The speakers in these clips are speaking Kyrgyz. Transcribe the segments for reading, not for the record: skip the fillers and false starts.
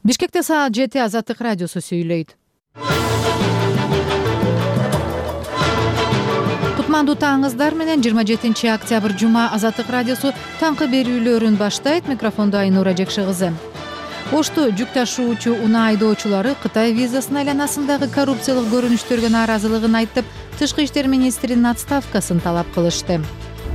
Бишкекте саат 7 Азаттык радиосу сүйлөйт. Кутмандуу таңыңыздар менен 27 октябрь жума Азаттык радиосу таңкы берүүлөрүн баштайт. Микрофондо Айнура Жекши кызы. Ошту жүк ташуучу унаа айдоочулары Кытай визасынын айланасындагы коррупциялык көрүнүштөргө нааразылыгын айтып, Тышкы иштер министринин отставкасын талап кылышты.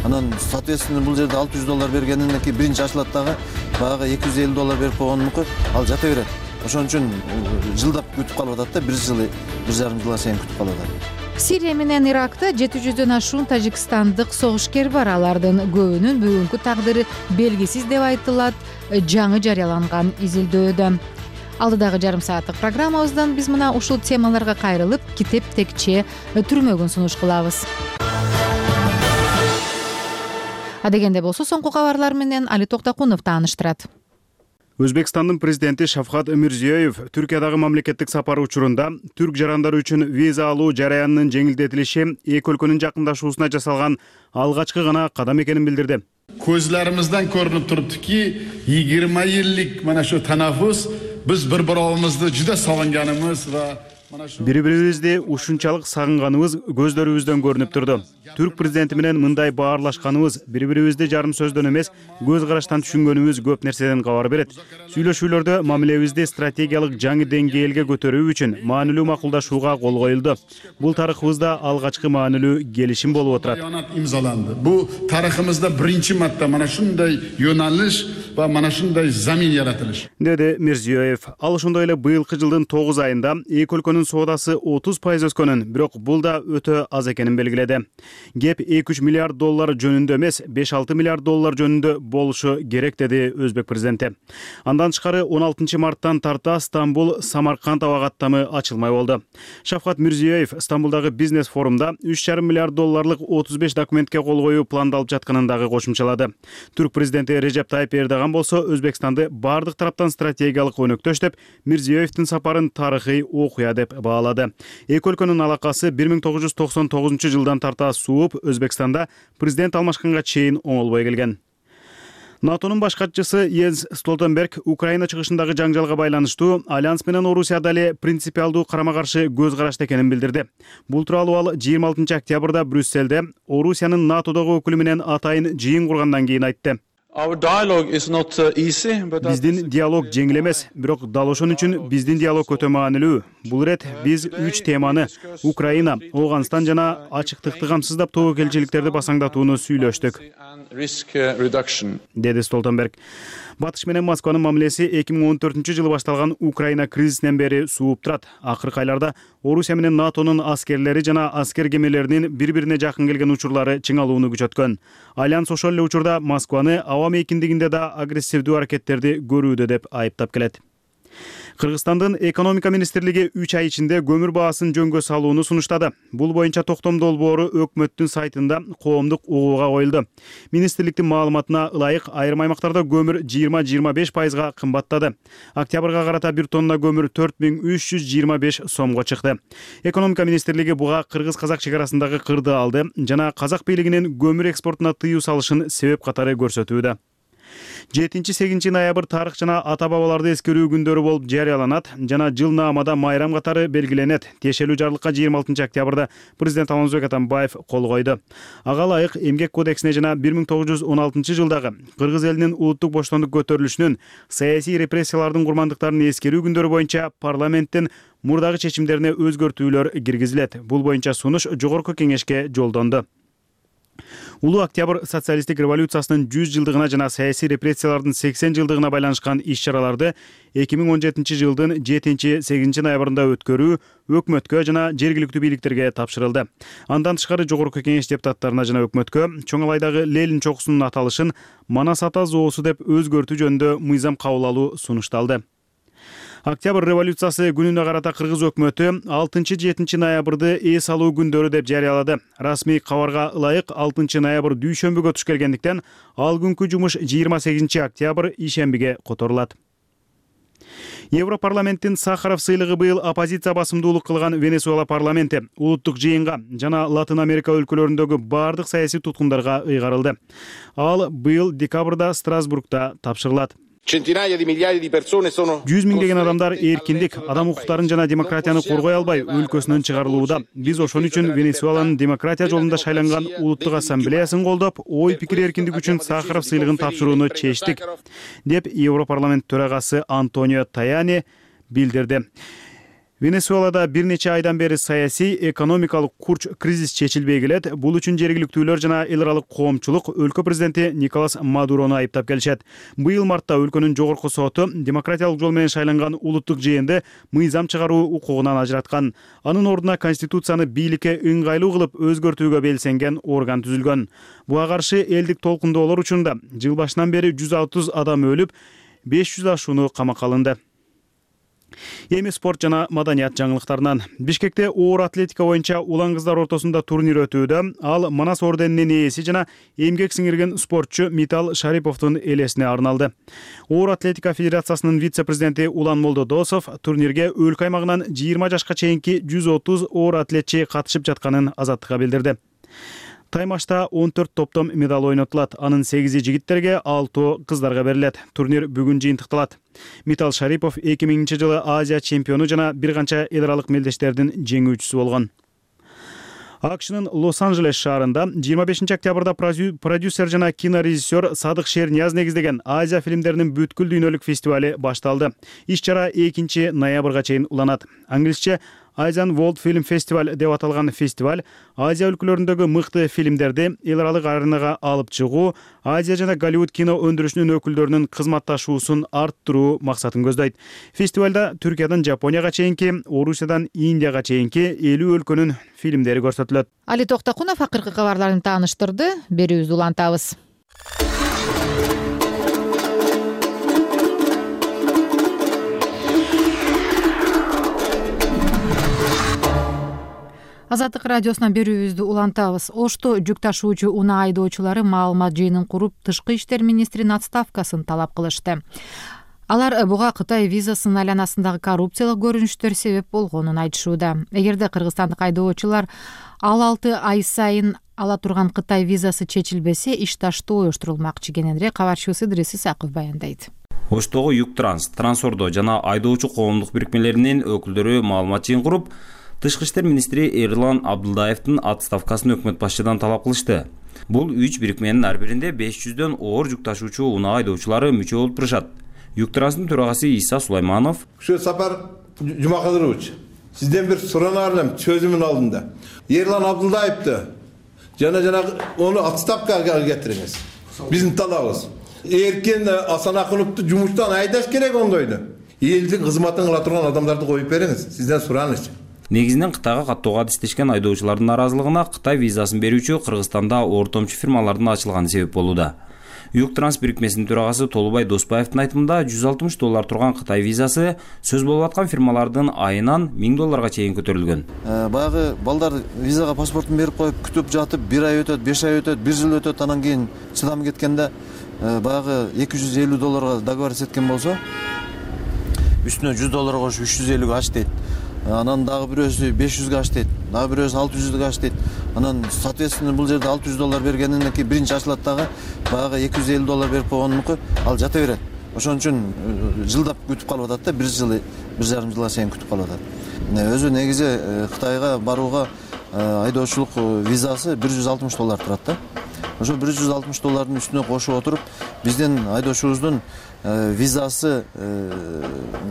Анан соответственно бул жерде $600 бергенинен кийин биринчи ачылат дагы баягы $250 берип койгонунку ал жата берет. Ошон үчүн жылдап күтүп калып атат да, 1 жарым жылга чейин күтүп калып атат. Сирия менен Иракта 700дөн ашуун тажикстандык согушкер бар. Алардын көбүнүн бүгүнкү тагдыры белгисиз деп айтылат жаңы жарыяланган изилдөөдө. Алдыдагы жарым сааттык программабыздан биз мына ушул темаларга кайрылып, китеп текче түрмөгүн сунуш кылабыз. Адегенде болсо соңку кабарлар менен Али Токтакунов тааныштырат. Өзбекстандын президенти Шавкат Мирзиёев Түркиядагы мамлекеттик сапары учурунда түрк жарандары үчүн виза алуу жараянынын жеңилдетилиши эки өлкөнүн жакындашуусуна жасалган алгачкы гана кадам экенин билдирди. Көзлөрүмүздөн көрүнүп туруптуки 20 жылдык мына шу танаффус биз бири-бирибизди жуда сагынганыбыз ва бири-бирибизди ушунчалык сагынганыбыз көздөрүбүздөн көрүнүп турду. Түрк президенти менен мындай баарлашканыбыз, бири-бирибизди жарым сөздөн эмес, көз караштан түшүнгөнүбүз көп нерседен кабар берет. Сүйлөшүүлөрдө мамилебизди стратегиялык жаңы деңгээлге көтөрүү үчүн маанилүү макулдашууга кол коюлду. Бул тарыхыбызда алгачкы маанилүү келишим болуп отурат. Имзаланды. Бул тарыхымызда биринчи марта мана шундай юналыш ва мана шундай замин яратылыш, деди Мирзиёев. Ал ошондой эле быйылкы жылдын 9 айында эки өлкөнүн соодасы 30% өскөнүн, бирок бул да өтө аз экенин белгиледи. Геп $2-3 миллиард жөнүндө эмес, $5-6 миллиард жөнүндө болушу керек, деди өзбек президенти. Андан тышкары 16 марттан тарта Стамбул Самарканд аба каттамы ачылмай болду. Шавкат Мирзиёев Стамбулдагы бизнес форумда $3,5 миллиард 35 документке кол коюу пландалып жатканын дагы кошумчалады. Түрк президенти Режеп Тайип Эрдоган болсо Өзбекстанды бардык тараптан стратегиялык өнөктөш деп, Мирзиёевдин сапарын тарыхый окуя деп баалады. Эки өлкөнүн алакасы 1999 жылдан тарта сууп, Өзбекстанда президент алмашканга чейин оңолбой келген. НАТОнун баш катчысы Йенс Столтенберг Украина чыгышындагы жаңжалга байланыштуу Альянс менен Орусия дали принципиалдуу карама-каршы көз карашта экенин билдирди. Бул тууралуу ал 26 октябрда Брюссельде Орусиянын НАТОдогу өкүлү менен атайын жыйын кургандан кийин айтты. Биздин диалог жеңил эмес, бирок дал ошон үчүн биздин диалог өтө маанилүү. Бул ирет биз 3 теманы — Украина, Ооганстан жана ачыктыкты камсыздап тобокелчиликтерди басаңдатууну сүйлөштүк, деди Столтенберг. Батыш менен Москванын мамилеси 2014 жылы башталган Украина кризисинен бери сууп турат. Акыркы айларда Орусия менен НАТОнун аскерлери жана аскер кемелеринин бири-бирине жакын келген учурлары чыңалууну күчөткөн. Альянс ошол эле учурда Москваны аба мейкиндигинде да агрессивдүү аракеттерди көрүүдө деп айыптап келет. Кыргызстандын экономика министрлиги 3 ай ичинде көмүр баасын жөнгө салууну сунуштады. Бул боюнча токтом долбоору өкмөттүн сайтында коомдук угууга коюлду. Министрликтин маалыматына ылайык, айрым аймактарда көмүр 20-25% кымбаттады. Октябрга карата 1 тонна көмүр 4325 сомго чыкты. Экономика министрлиги буга кыргыз-казак чек арасындагы кырды алды жана казак бийлигинин көмүр экспортуна тыюу салышын себеп катары көрсөтүүдө. 7-8 ноябрь тарых жана ата-бабаларды эскерүү күндөрү болуп жарыяланат жана жыл наамада майрам катары белгиленет. Тиешелүү жарлыкка 26 октябрда президент Алмазбек Атамбаев кол койду. Ага ылайык эмгек кодексине жана 1916 жылдагы кыргыз элинин улуттук боштондук көтөрүлүшүнүн саясий репрессиялардын курмандыктарын эскерүү күндөрү боюнча парламенттин мурдагы чечимдерине өзгөртүүлөр киргизилет. Бул боюнча сунуш жогорку кеңешке жолдонду. Улуу октябрь социалисттик революциясынын 100 жылдыгына жана саясий репрессиялардын 80 жылдыгына байланышкан иш-чараларды 2017 жылдын 7-8 ноябрында өткөрүү өкмөткө жана жергиликтүү бийликтерге тапшырылды. Андан тышкары жогорку кеңеш депутаттарына жана өкмөткө Чоң Алайдагы Ленин чокусунун аталышын Манас ата зоосу деп өзгөртүү жөнүндө мыйзам кабыл алуу сунушталды. Октябрь революциясы күнүнө карата кыргыз өкмөтү 6-7 ноябрды эс алуу күндөрү деп жарыялады. Расмий кабарга ылайык 6 ноябрь дүйшөмбүгө туш келгендиктен ал күнкү жумуш 28 октябрь ишембиге которулат. Европарламенттин Сахаров сыйлыгы быйыл оппозиция басымдуулук кылган Венесуэла парламенти улуттук жыйынга жана Латын Америка өлкөлөрүндөгү бардык саясий туткундарга ыйгарылды. Ал быйыл декабрда Страсбургда тапшырылат. Centinaia di migliaia di persone sono 100 миңдеген адамдар эркиндик, адам укуктарын жана демократияны коргой албай өлкөсүнөн чыгарылууда. Биз ошон үчүн Венесуэланын демократия жолунда шайланган улуттук ассамблеясын колдоп, ой пикир эркиндиги үчүн Сахаров сыйлыгын тапшырууну чечтик, деп Европарламент төрагасы Антонио Таяни билдирди. Венесуэлада бир нече айдан бери саясий, экономикалык курч кризис чечилбей келет. Бул үчүн жергиликтүүлөр жана эл аралык коомчулук өлкө президенти Николас Мадурону айыптап келишет. Быйыл мартта өлкөнүн жогорку соту демократиялык жол менен шайланган улуттук жыйынды мыйзам чыгаруу укугунан ажыраткан. Анын ордуна конституцияны бийликке ыңгайлуу кылып өзгөртүүгө белсенген орган түзүлгөн. Буга каршы элдик толкундоолор учурунда жыл башынан бери 130 адам өлүп, 500 ашууну камакка алынды. Эми спорт жана маданият жаңылыктарынан. Бишкекте оор атлетика боюнча улан кыздар ортосунда турнир өтүүдө. Ал Манас орденинин ээси жана эмгек сиңирген спортчу Митал Шариповдун элесине арналды. Оор атлетика федерациясынын вице-президенти Улан Молдодосов турнирге өлкө аймагынан 20 жашка чейинки 130 оор атлетчи катышып жатканын Азаттыкка билдирди. Таймашта 14 топтом медал ойнотулат. Анын 8 жигиттерге, 6 кыздарга берилет. Турнир бүгүн жыйынтыкталат. Митал Шарипов 2000-жылы Азия чемпиону жана бир канча эл аралык мелдештердин жеңүүчүсү болгон. АКШнын Лос-Анджелес шаарында 25 октябрда продюсер жана кинорежиссер Садык Шернияз негиздеген Азия фильмдеринин бүткүл дүйнөлүк фестивали башталды. Иш-чара 2-ноябрга чейин уланат. Англисче Asian World Film Festival деп аталган фестиваль Азия өлкөлөрүндөгү мыкты фильмдерди эл аралык аренага алып чыгуу, Азия жана Голливуд кино өндүрүшүнүн өкүлдөрүнүн кызматташуусун арттыруу максатын көздөйт. Фестивалда Түркиядан Жапонияга чейинки, Орусиядан Индияга чейинки 50 өлкөнүн фильмдери көрсөтүлөт. Али Токтакунов акыркы кабарларын тааныштырды. Берүүбүздү улантабыз. Азаттык радиосунан берүүбүздү улантабыз. Ошто жүк ташуучу унаа айдоочулары маалымат жыйынын куруп, тышкы иштер министринин отставкасын талап кылышты. Алар буга Кытай визасынын айланасындагы коррупциялык көрүнүштөр себеп болгонун айтышууда. Эгерде кыргызстандык айдоочулар ал 6 ай сайын ала турган Кытай визасы чечилбесе, иш таштоо уюштурулмакчы. Кененирээк кабарчыбыз Идрис Исаков баяндайт. Оштогу Юктранс, Трансордо жана айдоочу коомдук бирикмелеринин өкүлдөрү маалымат жыйын куруп, Тышкы иштер министри Эрлан Абдулдаевдин отставкасын өкмөт башчыдан талап кылышты. Бул 3 бирикменин ар биринде 500дөн оор жүк ташуучу унаа айдоочулары мүчө болуп турушат. Юктранстын төрагасы Иса Сулайманов: Сапар Жумакадырович, сизден бир суранаар элем сөзүмдүн алдында. Эрлан Абдулдаевди жана ону отставкага кетириңиз. Биздин талабыбыз. Эркен Асанакуновду жумуштан айдаш керек ондойду. Элдин кызматын кыла турган адамдарды коюп бериңиз. Сизден сураныч. Негизинен Кытайга каттоого адистешкен айдоочулардын наразылыгына Кытай визасын берүүчү Кыргызстанда ортомчу фирмалардын ачылганы себеп болууда. Юктранс бирикмесинин төрагасы Толубай Доспаевдин айтымында $160 турган Кытай визасы сөз болуп аткан фирмалардын айынан $1000 чейин көтөрүлгөн. Баягы балдар визага паспортун берип коюп күтүп жатып 1 ай өтөт, 5 ай өтөт, 1 жыл өтөт, анан кийин чыдам кеткенде баягы $250 договор эткен болсо, үстүнө $100 кошуп 350 аш дейт. Анан дагы бирөөсү 500 аш дейт, дагы бирөөсү 600 аш дейт. Анан соответственно бул жерде $600 бергенинен кийин биринчи ачылат дагы баягы $250 берип койгонунку ал жата берет. Ошон үчүн жылдап күтүп калып атат да, 1,5 жылга чейин күтүп калып атат. Өзү негизи Кытайга барууга айдоочулук визасы $160 турат да. Ошо $160 үстүнө кошуп отуруп, биздин айдоочубуздун визасы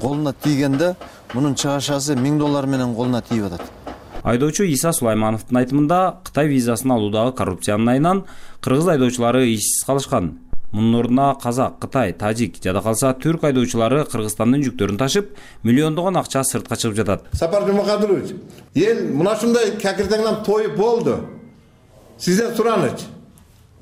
колуна тийгенде мунун чыгашасы $1000 менен колуна тийип атат. Айдоочу Иса Сулаймановдун айтымында Кытай визасын алуудагы коррупциянын айынан кыргыз айдоочулары ишсиз калышкан. Мунун ордуна казак, кытай, тажик жада калса түрк айдоочулары Кыргызстандын жүктөрүн ташып, миллиондогон акча сыртка чыгып жатат. Сапар Жумакадырович, эл мына ушундай какирдеңден тоюп болду. Сизден сураныч.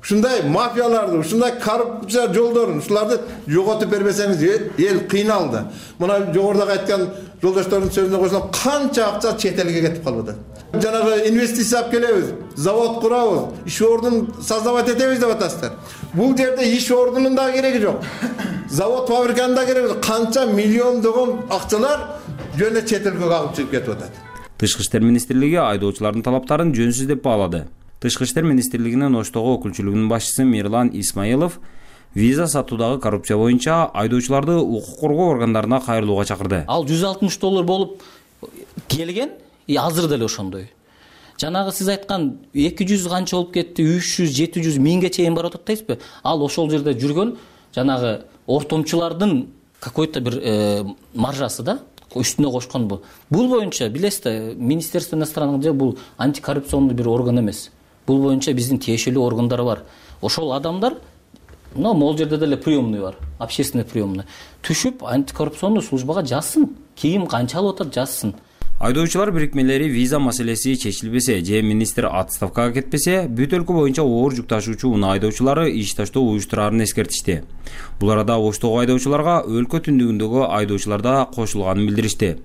Ушундай мафияларды, ушундай коррупция жолдорун, ушуларды жоготуп бербесеңиз эл кыйналды. Мына жогоруда айткан жолдоштордун сөзүнө койсом, канча акча чет элге кетип калып атат. Жанагы инвестиция алып келебиз, завод курабыз, иш ордун создавать этебиз деп атасыздар. Бул жерде иш ордунун да кереги жок. Завод фабриканын да кереги жок. Канча миллиондогон акчалар жөнө чет элге кагып чыгып кетип атат. Тышкы иштер министрлиги айдоочулардын талаптарын жөнсүз деп баалады. Тышкы иштер министрлигинин Оштогу өкүлчүлүгүнүн башчысы Мирлан Исмаилов Виза сатуудагы коррупция боюнча айдоочуларды укук коргоо органдарына кайрылууга чакырды. Ал $160 болуп келген, азыр деле ошондой. Жанагы сиз айткан 200 канча болуп кетти, 300, 700, 1000ге чейин барып атат дейсизби? Ал ошол жерде жүргөн жанагы ортомчулардын какой-то бир маржасы да, үстүнө кошконбу. Бул боюнча билесизби, Министерство иностранных дел бул антикоррупционный бир орган эмес. Бул боюнча биздин тиешелүү органдар бар. Ошол адамдар, могул жерде деле приемный бар, общественный приемный. Түшүп антикоррупционный службага жазсын. Кийин канча алып атат жазсын. Айдоочулар бирикмелери виза маселеси чечилбесе же министр отставкага кетпесе, бүт өлкө боюнча оор жүк ташуучу унаа айдоочулары иш таштоо уюштурарын эскертишти. Бул арада Оштогу айдоочуларга өлкө түндүгүндөгү айдоочулар да кошулганын билдиришти.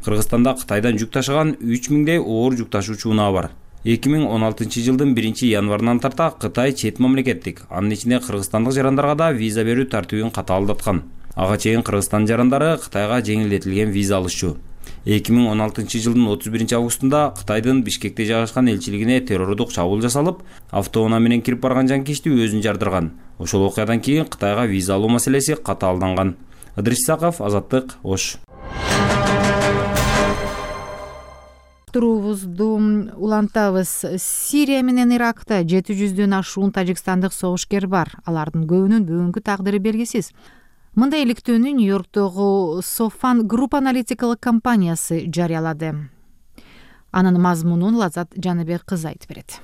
Кыргызстанда Кытайдан жүк ташыган 3000дей оор жүк ташуучу унаа бар. 2016 жылдын 1-январынан тарта Кытай чет мамлекеттик, анын ичинде кыргызстандык жарандарга да виза берүү тартибин катаалдаткан. Ага чейин Кыргызстан жарандары Кытайга жеңилдетилген виза алышчу. 2016 жылдын 31 августунда Кытайдын Бишкекте жайгашкан элчилигине террордук чабуул жасалып, автоунаа менен кирип барган жанкечти өзүн жардырган. Ошол окуядан кийин Кытайга виза алуу маселеси катаалданган. Ыдырис Исаков, Азаттык, Ош. Турубузду улантабыз. Сирия менен Иракта 700дөн ашуун тажикстандык согушкер бар. Алардын көбүнүн бүгүнкү тагдыры белгисиз. Мындай иликтөөнү Нью-Йорктогу Софан Групп аналитикалык компаниясы жарыялады. Анын мазмунун Лазат Жаныбек кызы айтып берет.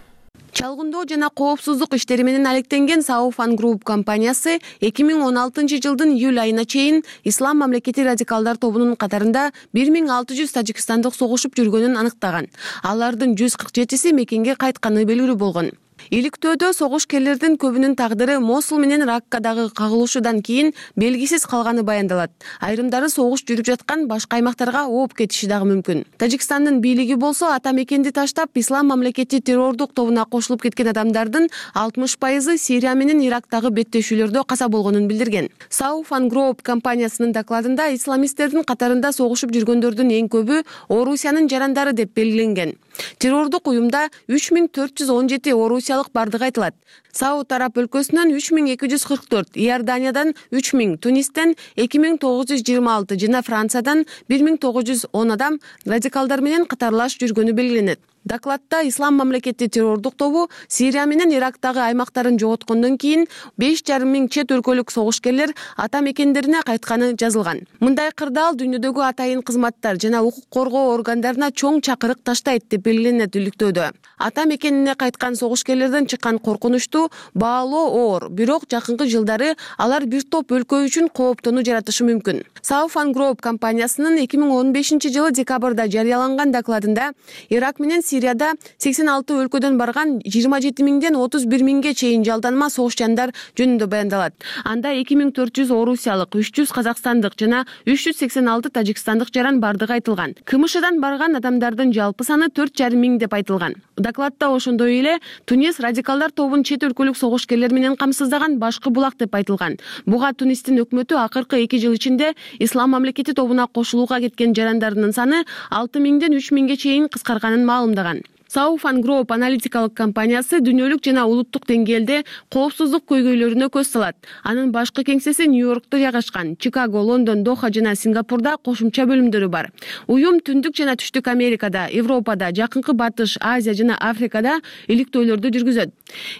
Чалгындоо жана коопсуздук иштери менен алектенген Софан Групп компаниясы 2016 жылдын июль айына чейин Ислам мамлекети радикалдар тобунун катарында 1600 тажикстандык согушуп жүргөнүн аныктаган. Алардын 147си мекенге кайтканы белгилүү болгон. Иликтөөдө согушкерлердин көбүнүн тагдыры Мосул менен Раккадагы кагылышуудан кийин белгисиз калганы баяндалат. Айрымдары согуш жүрүп жаткан башка аймактарга ооп кетиши дагы мүмкүн. Тажикстандын бийлиги болсо ата мекенди таштап Ислам мамлекети террордук тобуна кошулуп кеткен адамдардын 60% Сирия менен Ирактагы беттешүүлөрдө каза болгонун билдирген. Софан Групп компаниясынын докладында исламисттердин катарында согушуп жүргөндөрдүн эң көбү Орусиянын жарандары деп белгиленген. Террордук уюмда 3417 орусиялык бардыгы айтылат. Сауд Араб өлкөсүнөн 3244, Иорданиядан 3000, Тунистен 2926 жана Франциядан 1910 адам радикалдар менен катарлаш жүргөнү белгиленет. Докладта Ислам мамлекети террордук тобу Сирия менен Ирактагы аймактарын жоготкондон кийин 5500 чет өлкөлүк согушкерлер ата мекендерине кайтканы жазылган. Мындай кырдаал дүйнөдөгү атайын кызматтар жана укук коргоо органдарына чоң чакырык таштайт деп белгиленет иликтөөдө. Ата мекенине кайткан согушкерлерден чыккан коркунучту баалоо оор, бирок жакынкы жылдары алар бир топ өлкө үчүн кооптонуу жаратышы мүмкүн. Софан Групп компаниясынын 2015 жылы декабрда жарыяланган докладында Ирак менен Сирияда 86 өлкөдөн барган 27000ден 31000ге чейин жалданма согушчандар жөнүндө баяндалат. Анда 2400 орусиялык, 300 казакстандык жана 386 тажикстандык жаран бардыгы айтылган. КМШдан барган адамдардын жалпы саны 4500 деп айтылган. Докладта ошондой эле Тунис радикалдар тобун чет өлкөлүк согушкерлер менен камсыздаган башкы булак деп айтылган. Буга Тунистин өкмөтү акыркы 2 жыл ичинде Ислам мамлекети тобуна кошулууга кеткен жарандарынын саны 6000ден 3000ге чейин кыскарганын маалымдаган. Софан Групп аналитикалык компаниясы дүйнөлүк жана улуттук деңгээлде коопсуздук көйгөйлөрүнө көз салат. Анын башкы кеңсеси Нью-Йоркто жайгашкан. Чикаго, Лондон, Доха жана Сингапурда кошумча бөлүмдөрү бар. Уюм түндүк жана түштүк Америкада, Европада, Жакынкы Батыш, Азия жана Африкада иликтөөлөрдү жүргүзөт.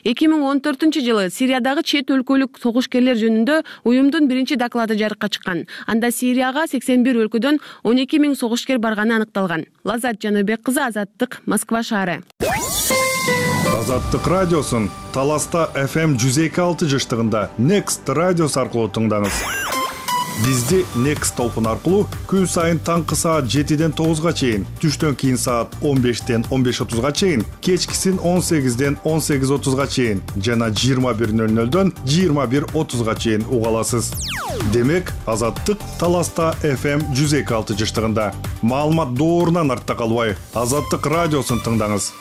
2014 жылы Сириядагы чет өлкөлүк согушкерлер жөнүндө уюмдун биринчи доклады жарыкка чыккан. Анда Сирияга 81 өлкөдөн 12000 согушкер барганы аныкталган. Лазат Жаныбек кызы, Азаттык, Москва шаары. Азаттык радиосун Таласта FM 102.6 жыштыгында Next радиос аркылуу тыңдаңыз. Бизди Next толкун аркылуу күн сайын таңкы саат 7ден 9га чейин, түштөн кийин саат 15ден 15:30га чейин, кечкисин 18ден 18:30га чейин жана 21:00дөн 21:30га чейин уга аласыз. Демек, Азаттык Таласта FM 102.6 жыштыгында. Маалымат доорунан артта калбай, Азаттык радиосын тыңдаңыз.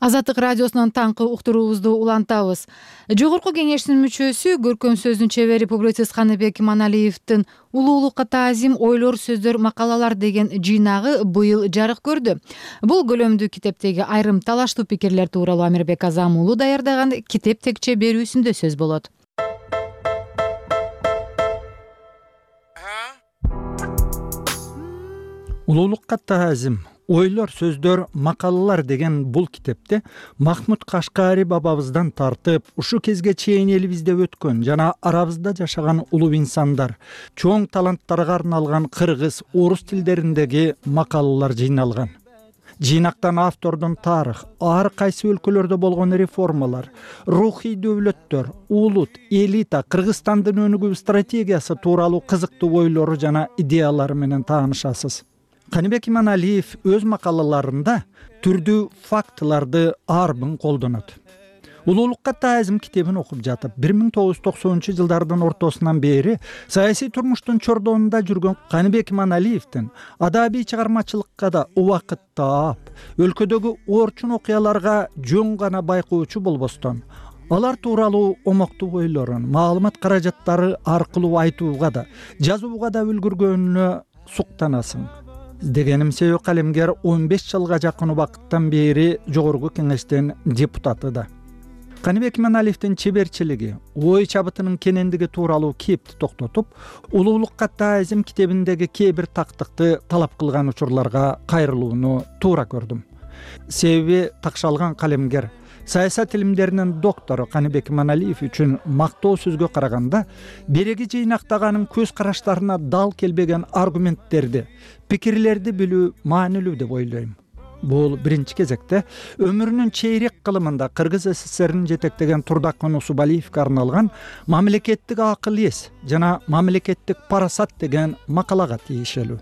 Азаттык радиосунун таңкы уктуруубузду улантабыз. Жогорку кеңештин мүчөсү, көркөм сөздүн чебери публицист Каныбек Иманалиевдин «Улуулукка таазим ойлор, сөздөр, макалалар» деген жыйнагы быйыл жарык көрдү. Бул көлөмдүү китептеги айрым талаштуу пикирлер тууралуу Амирбек Азам уулу даярдаган китеп текче берүүсүндө сөз болот. Улуулукка таазим ойлор, сөздөр, макалалар деген бул китепте Махмуд Кашкари бабабыздан тартып, ушу кезге чейин элибизде өткөн жана арабызда жашаган улуу инсандар, чоң таланттарга арналган кыргыз, орус тилдериндеги макалалар жыйналган. Жыйнактан автордун тарых, ар кайсы өлкөлөрдө болгон реформалар, рухий дөөлөттөр, улут, элита, Кыргызстандын өнүгүү стратегиясы тууралуу кызыктуу ойлору жана идеялары менен таанышасыз. Каныбек Иманалиев өз макалаларында түрдүү фактыларды арбын колдонот. Улуулукка таазим китебин окуп жатып, 1990-жылдардын ортосунан бери саясий турмуштун чордонунда жүргөн Каныбек Иманалиевдин адабий чыгармачылыкка да убакыт таап, өлкөдөгү орчун окуяларга жөн гана байкоочу болбостон, алар тууралуу омоктуу ойлорун маалымат каражаттары аркылуу айтууга да, жазууга да үлгүргөнүнө суктанасың. Дегеним себеби калемгер 15 жылга жакын убакыттан бери жогорку кеңештин депутаты да. Каныбек Иманалиевдин чеберчилиги, ой чабытынын кенендиги тууралуу кепти токтотуп, улуулукка таазим китебиндеги кээ бир тактыкты талап кылган учурларга кайрылууну туура көрдүм. Себеби такшалган калемгер саясат илимдеринин доктору Каныбек Иманалиев үчүн мактоо сөзгө караганда береги жыйнактаганын көз караштарына дал келбеген аргументтерди, пикирлерди билүү маанилүү деп ойлойм. Бул биринчи кезекте өмүрүнүн чейрек кылымында Кыргыз СССРин жетектеген Турдак Нусубалиевге арналган «Мамлекеттик акыл эс» жана «Мамлекеттик парасат» деген макалага тийишелүү.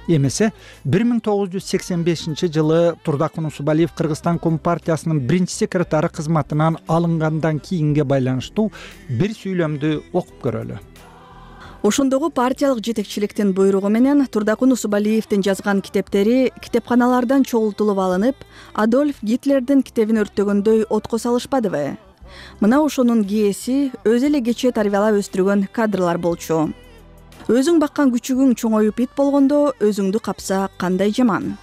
Эмесе 1985-жылы Турдак Нусубалиев Кыргызстан Компартиясынын биринчи секретары кызматынан алынгандан кийинге байланыштуу бир сүйлөмдү окуп көрөлү. Ошондогу партиялык жетекчиликтин буйругу менен Турдак Нусубалиевдин жазган китептери китепканалардан чогултулуп алынып, Адольф Гитлердин китебин өрттөгөндөй отко салышпадыбы? Мына ошонун кээси өзү эле кечээ тарбиялап өстүргөн кадрлар болчу. Өзүң баккан күчүгүң чоңоюп ит болгондо өзүңдү капса кандай жаман.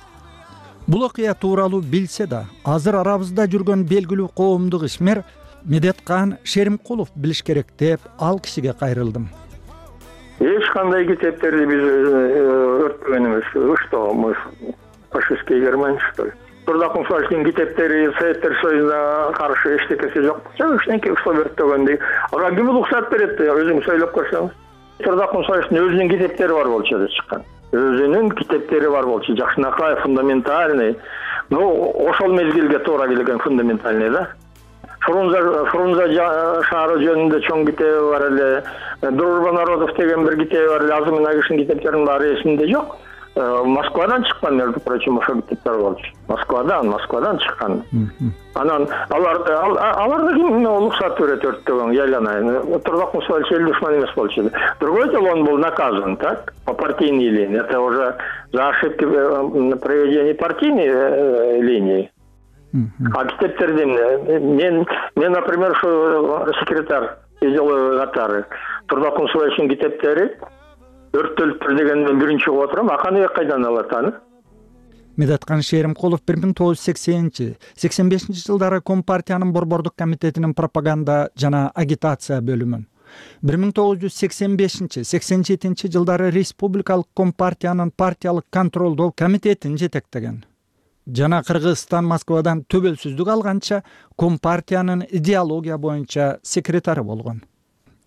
Бул окуя тууралуу билсе да, азыр арабызда жүргөн белгилүү коомдук ишмер Медеткан Шеримкулов билиш керек деп ал кишиге кайрылдым. Эч кандай китептерди биз өрттөгөн эмес. Что мы фашистские Германия, что ли? Турдак Нусубалиевдин китептери Советтер Союзуна каршы эчтекеси жок. Эчтеке уктап өрттөгөндөй. Ага ким уруксат берет? Өзүң сүйлөп көрсөң. Турдак Нусубалиевдин өзүнүн китептери бар болчу деп чыккан. Өзүнүн китептери бар болчу. Жакшынакай, фундаментальный. Ошол мезгилге туура келген фундаментальный да. Фрунзе шаары жөнүндө чоң китеби бар эле. Дружба народов деген бир китеби бар эле. Азыр мына кишинин китептеринин баары эсимде жок. Москвадан чыккан, между прочим, ошол китептер болчу. Москвадан чыккан. Анан аларда ким уруксат берет өрттөгөн, яйланайын. Турдак Нусубалиев эл душман эмес болчу. Другой дело, он был наказан, так, по партийной линии. Это уже за ошибки на проведении партийной линии. А китептерди мен, например, что секретарь делаю нотары. Турдак Нусубалиевдин китептери өрттөлүптүр дегенден биринчи угуп отурам. Аканыбек кайдан алат аны? Медеткан Шеримкулов 1980-85 жылдары Компартиянын Борбордук комитетинин пропаганда жана агитация бөлүмүн, 1985-87 жылдары Республикалык Компартиянын партиялык контролдоо комитетин жетектеген. Жана Кыргызстан Москвадан төбөлсүздүк алганча Компартиянын идеология боюнча секретары болгон.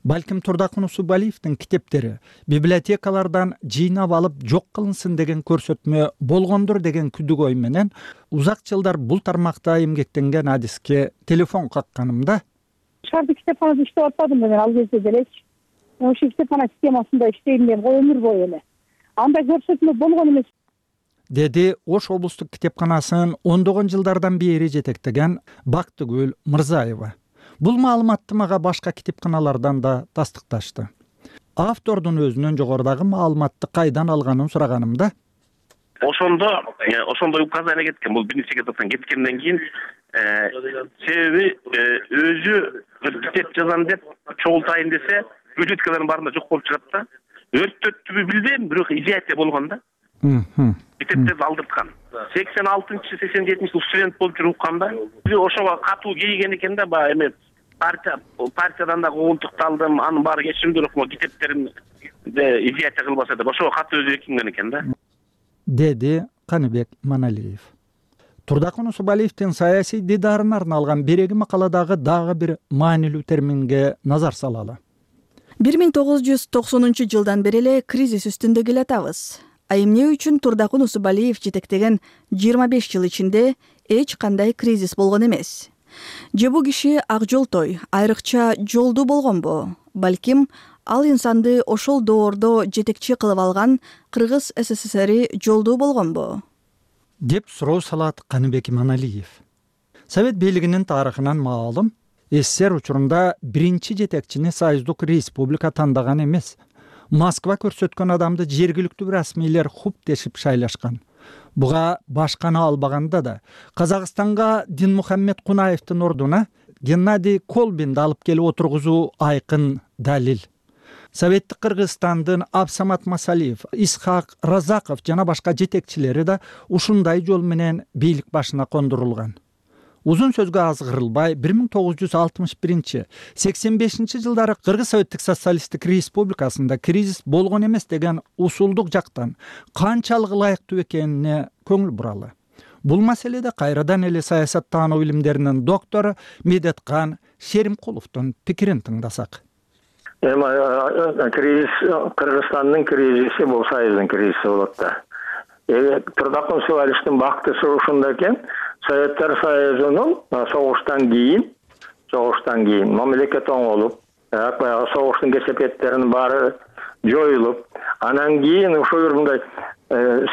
Балким Турдак Нусубалиевдин китептери библиотекалардан жыйнап алып жок кылынсын деген көрсөтмө болгондур деген күдүк ой менен узак жылдар бул тармакта эмгектенген адиске телефон какканымда шаардык китепканада иштеп атпадым мен ал кезде делечи. Ошол китепкана системасында иштейм деп өмүр бою эле. Андай көрсөтмө болгон эмес. Деди Ош облустук китепканасын ондогон жылдардан бери жетектеген Бактыгүл Мырзаева. Бул маалыматты мага башка китепканалардан да тастыкташты. Автордун өзүнөн жогорудагы маалыматты кайдан алганын сураганымда ошондой указание кеткен. Бул биринчи секретардан кеткенден кийин Себеби өзү китеп жазам деп чогултайын десе бюджеткалардын баарында жок болуп чыгат да. Өрттөттүбү билбейм, бирок идея болгон да. Китептерди алдырткан. 86-87 студент болуп жүрүп укканда ошого катуу кейген экен да, баягы эме партиядан да куугунтукталдым, анын баары кечиримдүү окума китептерин идея кылбаса деп ошого катуу өзү бекинген экен да. Деди Каныбек Маналиев. Турдакун Усубалиевдин саясий дидарына арналган береги макаладагы дагы бир маанилүү терминге назар салалы. 1990 жылдан бери эле кризис үстүндө келатабыз. А эмне үчүн Турдакун Усубалиев жетектеген 25 жыл ичинде эч кандай кризис болгон эмес? Же бул киши ак жолтой, айрыкча жолдуу болгонбу? Балким ал инсанды ошол доордо жетекчи кылып алган Кыргыз СССРи жолдуу болгонбу? Деп суроо салат Каныбек Маналиев. Совет бийлигинин тарыхынан маалым, СССР учурунда биринчи жетекчини Союздук Республика тандаган эмес. Москва көрсөткөн адамды жергиликтүү расмийлер хуптешип шайлашкан. Буга башканы албаганда да Казакстанга Динмухаммед Кунаевдин ордуна Геннадий Колбинди алып келип отургузуу айкын далил. Советтик Кыргызстандын Абсамат Масалиев, Исхак Разаков жана башка жетекчилери да ушундай жол менен бийлик башына кондурулган. Узун сөзгө азгырылбай 1961-85 жылдары Кыргыз Советтик Социалисттик Республикасында кризис болгон эмес деген усулдук жактан канчалык ылайыктуу экенине көңүл буралы. Бул маселеде кайрадан эле саясаттануу илимдеринин доктору Медеткан Шеримкуловдун пикирин тыңдасак. Кризис, Кыргызстандын кризиси бул Союздун кризиси болот да. Турдакун Усубалиевдин бактысы ушунда экен. Советтер Союзунун согуштан кийин мамлекет оңолуп, согуштун кесепеттеринин баары жоюлуп, анан кийин ошо мындай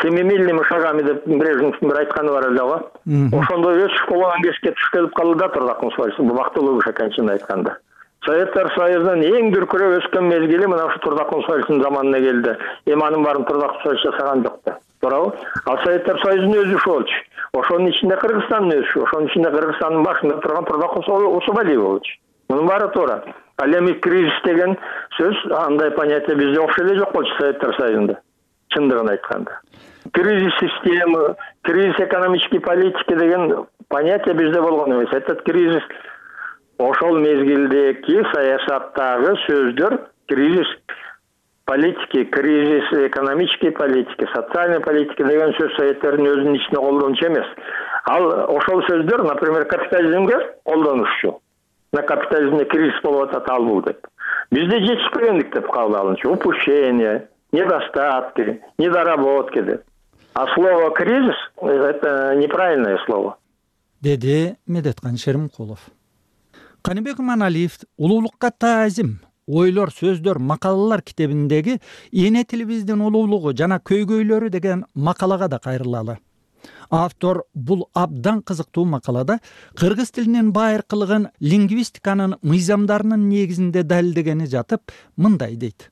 семимильными шагами деп Брежневдин бир айтканы бар эле го. Ошондой өсүп болгон кеске туш келип калды да Турдакун Усубалиев. Бул бактылуу киши экен чынын айтканда. Советтер Союзунун эң дүркүрөп өскөн мезгили мына ушу Турдакун Усубалиевдин заманына келди. Эми анын баарын Турдакун Усубалиев жасаган жок да. Туурабы? Ал Советтер Союзунун өсүшү болчу. Ошонун ичинде Кыргызстандын өсүшү, ошонун ичинде Кыргызстандын башында турган Турдакун Усубалиев болчу. Мунун баары туура. Ал эми кризис деген сөз андай понятие бизде вообще эле жок болчу Советтер Союзунда. Чындыгын айтканда. Кризис системы, кризис экономической политики деген понятие бизде болгон эмес. Этот кризис ошол мезгилдеги саясаттагы сөздөр кризис политики, кризис экономической политики, социальной политики деген сөз Советтердин өзүнүн ичинде колдончу эмес. Ал ошол сөздөр, например, капитализмге колдонушчу. На капитализмде кризис болуп атат ал бул деп. Бизде жетишпегендик деп кабыл алынчу. Упущение, недостатки, недоработки деп. А слово кризис — это неправильное слово. Деди Медеткан Шеримкулов. Каныбек Маналиев улуулукка таазим, ойлор, сөздөр, макалалар китебиндеги эне тилибиздин улуулугу жана көйгөйлөрү деген макалага да кайрылалы. Автор бул абдан кызыктуу макалада кыргыз тилинин байыркылыгын лингвистиканын мыйзамдарынын негизинде далилдегени жатып, мындай дейт.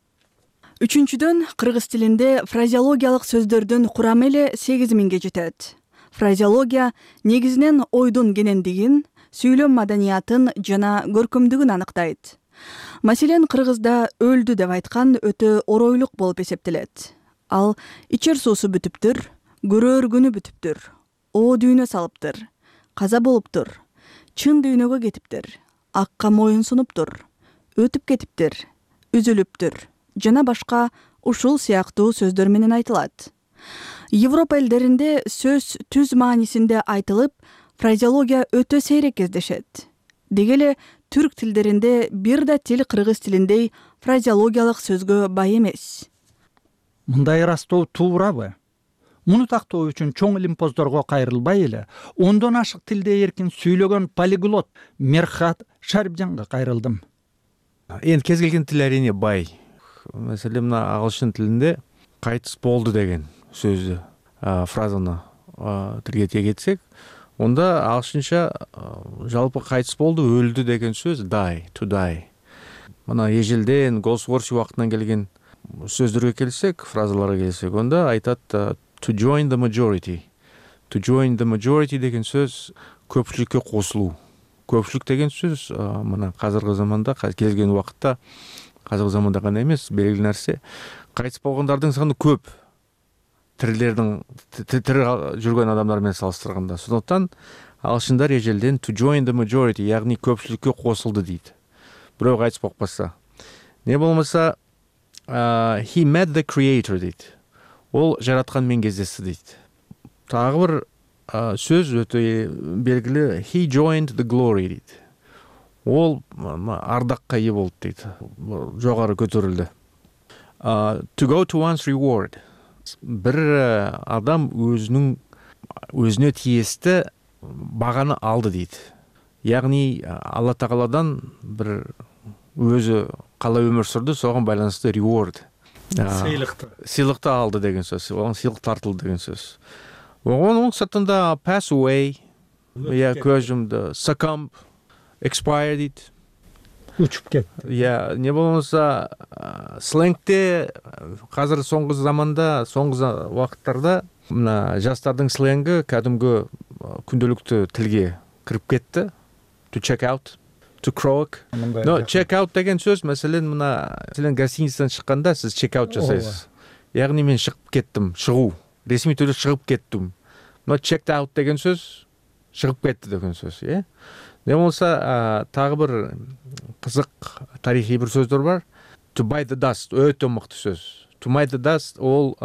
Үчүнчүдөн, кыргыз тилинде фразеологиялык сөздөрдүн курамы эле 8000ге жетет. Фразеология негизинен ойдун кенендигин, сүйлөм маданиятын жана көркөмдүгүн аныктайт. Маселен, кыргызда өлдү деп айткан өтө оройлук болуп эсептелет. Ал ичер суусу бүтүптүр, көрөр күнү бүтүптүр, оо дүйнө салыптыр, каза болуптур, чын дүйнөгө кетиптир, акка моюн сунуптур, өтүп кетиптир, үзүлүптүр жана башка ушул сыяктуу сөздөр менен айтылат. Европа элдеринде сөз түз маанисинде айтылып, фразеология өтө сейрек кездешет. Деги эле түрк тилдеринде бир да тил кыргыз тилиндей фразеологиялык сөзгө бай эмес. Мындай ырастоо туурабы? Муну тактоо үчүн чоң илимпоздорго кайрылбай эле, ондон ашык тилде эркин сүйлөгөн полиглот Мерхат Шарипжанга кайрылдым. Энд кез келген тил әрине бай. Маселен, мына агылшын тилинде кайтыс болду деген сөздү, фразаны тилге тиек этсек, онда агылшынча жалпы кайтыс болду, өлдү деген сөз die, to die. Мына ежелден Голсворси убактынан келген сөздөргө келсек, фразаларга келсек, онда айтат to join the majority. To join the majority деген сөз көпчүлүккө кошулуу. Көпчүлүк деген сөз мына азыркы заманда, келген убакытта, азыркы заманда гана эмес, белгилүү нерсе, кайтып болгондордун саны көп. Тирилердин тири жүргөн адамдар менен салыштырганда. Сондуктан ағылшындар ежелден to join the majority, яғни көпчүлүккө кошулду дейт. Бирөө кайтып болбаса. Не болмаса he met the creator дейт. Ол жараткан менен кездешти дейт. Тагы бир сөз өтө белгилүү, he joined the glory дейт. Ол ардакка ээ болду дейт. Жогору көтөрүлдү. To go to one's reward. Бир адам өзүнө тиесті баганы алды дейт. Яғни Алла Тағаладан бір өзі қалай өмір сүрді, соған байланысты reward. Сыйлықты алды деген сөз. Оған сыйлық тартылды деген сөз. Оның сыртында pass away, көз жұмды, succumb, expire дейді. Учуп кетти. Не болмаса сленгте қазір соңғы заманда, соңғы уақыттарда мына жастардың сленги кәдімгі күнделікті тілге кіріп кетті. To check out, to croak. No, check out деген сөз, мәселен мына гостиницадан шыққанда сіз check out жасайсыз. Яғни мен шығып кеттім, шығу. Ресми түрде шығып кеттім. Но checked out деген сөз шығып кетті деген сөз, е? Не болса тағы бір қызық тарихи бір сөздер бар. To bite the dust, өте мықты сөз. To bite the dust ол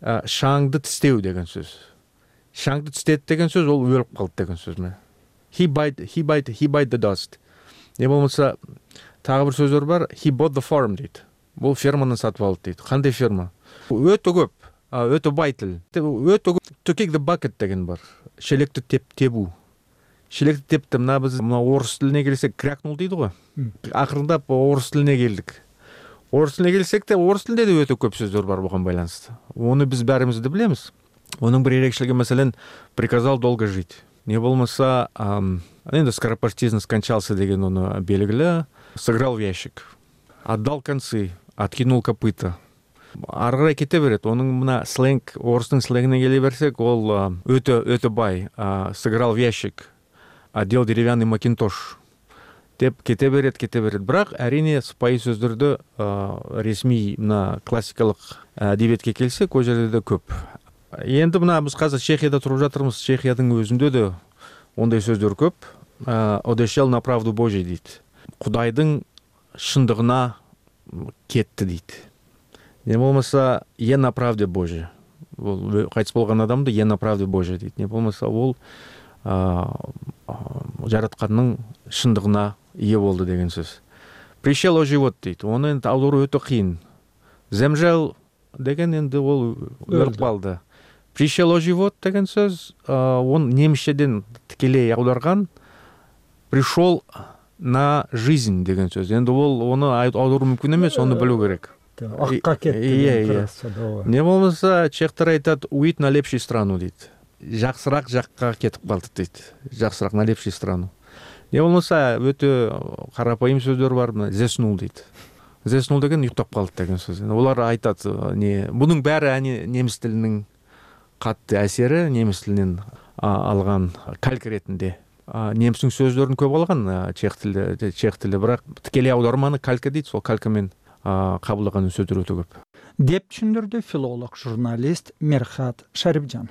шаңды тістеу деген сөз. Шаңды тістеді деген сөз ол өліп қалды деген сөз ме? He bite the dust. Не болмаса тағы бір сөздер бар. He bought the farm дейді. Бұл ферманы сатып алды дейді. Қандай ферма? Өте көп, өте бай тіл. Өте көп. To kick the bucket деген бар. Шелекті тебу. Шелекті тепті, мына орыс тіліне келсек крякнул дейді ғой. Ақырындап орыс тіліне келдік. Орыс тіліне келсек те, орыс тілінде де өте көп сөздер бар бұған байланысты. Оны біз бәріміз де білеміз. Оның бір ерекшелігі мәселен приказал долго жить. Не болмаса, енді скоропостижно скончался деген оны белгілі. Сыграл в ящик. Отдал концы, откинул копыта. Арғырай кете береді. Оның мына сленг, орыстың сленгіне келе берсек, ол өте бай. Сыграл в ящик. Отдел деревянный макинтош. Деп кете береді. Бірақ әрине сыпайы сөздерді ресми мына классикалық әдебиетке келсек, ол жерде де көп. Енді мына біз қазір Чехияда тұрып жатырмыз. Чехиядың өзінде де ондай сөздер көп. Одешел на правду Божий дейді. Құдайдың шындығына кетті дейді. Не болмаса, е на правде Божий. Қайтыс болған адамды е на правде Божий дейді. Не болмаса, ол жаратқанның шындығына ие болды деген сөз. Пришел о живот дейді. Оны енді аудару өте қиын. Земжел деген енді ол өліп қалды. Пришел о живот деген сөз, он немісшеден тікелей аударған пришел на жизнь деген сөз. Енді ол оны аудару мүмкін емес, оны білу керек. Аққа кетті. Не болмаса, чехтар айтады, уйт на лепший страну дейді. Жақсырақ жаққа кетіп қалды дейді. Жақсырақ на лепший страну. Не болмаса, өте қарапайым сөздер бар, зеснул дейді. Зеснул деген ұйықтап қалды деген сөз. Олар айтады, бұның бәрі неміс тілінің қатты әсері, неміс тілінен алған калька ретінде. Немістің сөздерін көп алған чех тілі, бірақ тікелей аударманы калька дейді, сол калькамен қабылдаған сөздер өте көп. Деп түшүндүрдү филолог, журналист Мерхат Шарипжан.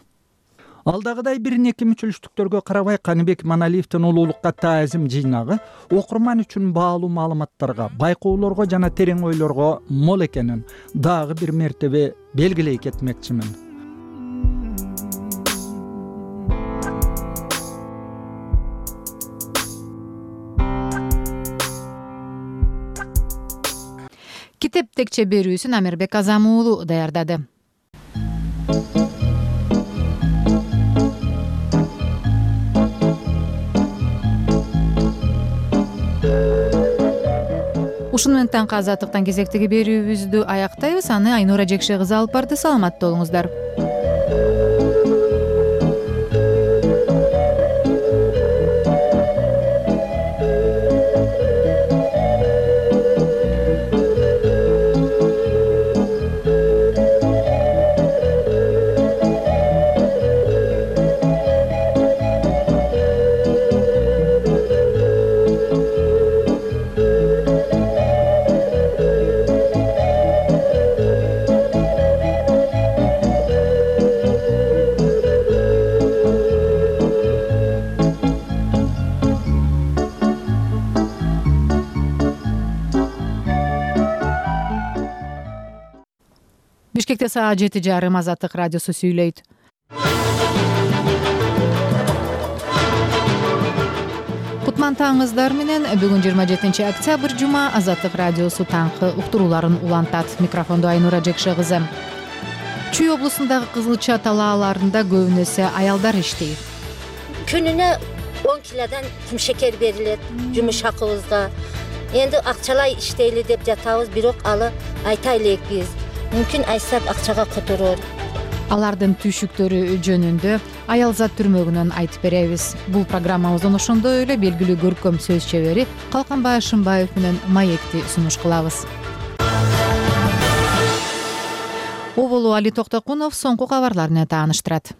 Алдагыдай бир-эки мүчүлүштүктөргө карабай Каныбек Маналиевдин улуулукка таазим жыйнагы окурман үчүн баалуу маалыматтарга, байкоолорго жана терең ойлорго мол экенин дагы бир мертебе белгилей кетмекчимин. Китеп текче берүүсүн Амирбек Азам уулу даярдады. Ушуну менен таңкы азаттыктан кезектеги берүүбүздү аяктайбыз. Аны Айнура Жекше кызы алып барды. Саламатта болуңуздар. Бишкекте саат 7:30 Азаттык радиосу сүйлөйт. Кутман таңыңыздар менен бүгүн 27 октябрь жума Азаттык радиосу таңкы уктурууларын улантат. Микрофондо Айнура Жекше кызы. Чүй облусундагы Кызылча талааларында көбүнесе аялдар иштейт. Күнүнө 10 килодан кимшекер берилет жумуш акыбызга. Энди акчалай иштейли деп жатабыз, бирок алы айта элекпиз. Мүмкүн айсап акчага которор. Алардын түйшүктөрү жөнүндө Аялзат түрмөгүнөн айтып беребиз. Бул программабыздын ошондой эле белгилүү көркөм сөз чебери Калканбай Ашымбаев менен маекти сунуш кылабыз. Оболу Али Токтокунов соңку кабарлар менен тааныштырат.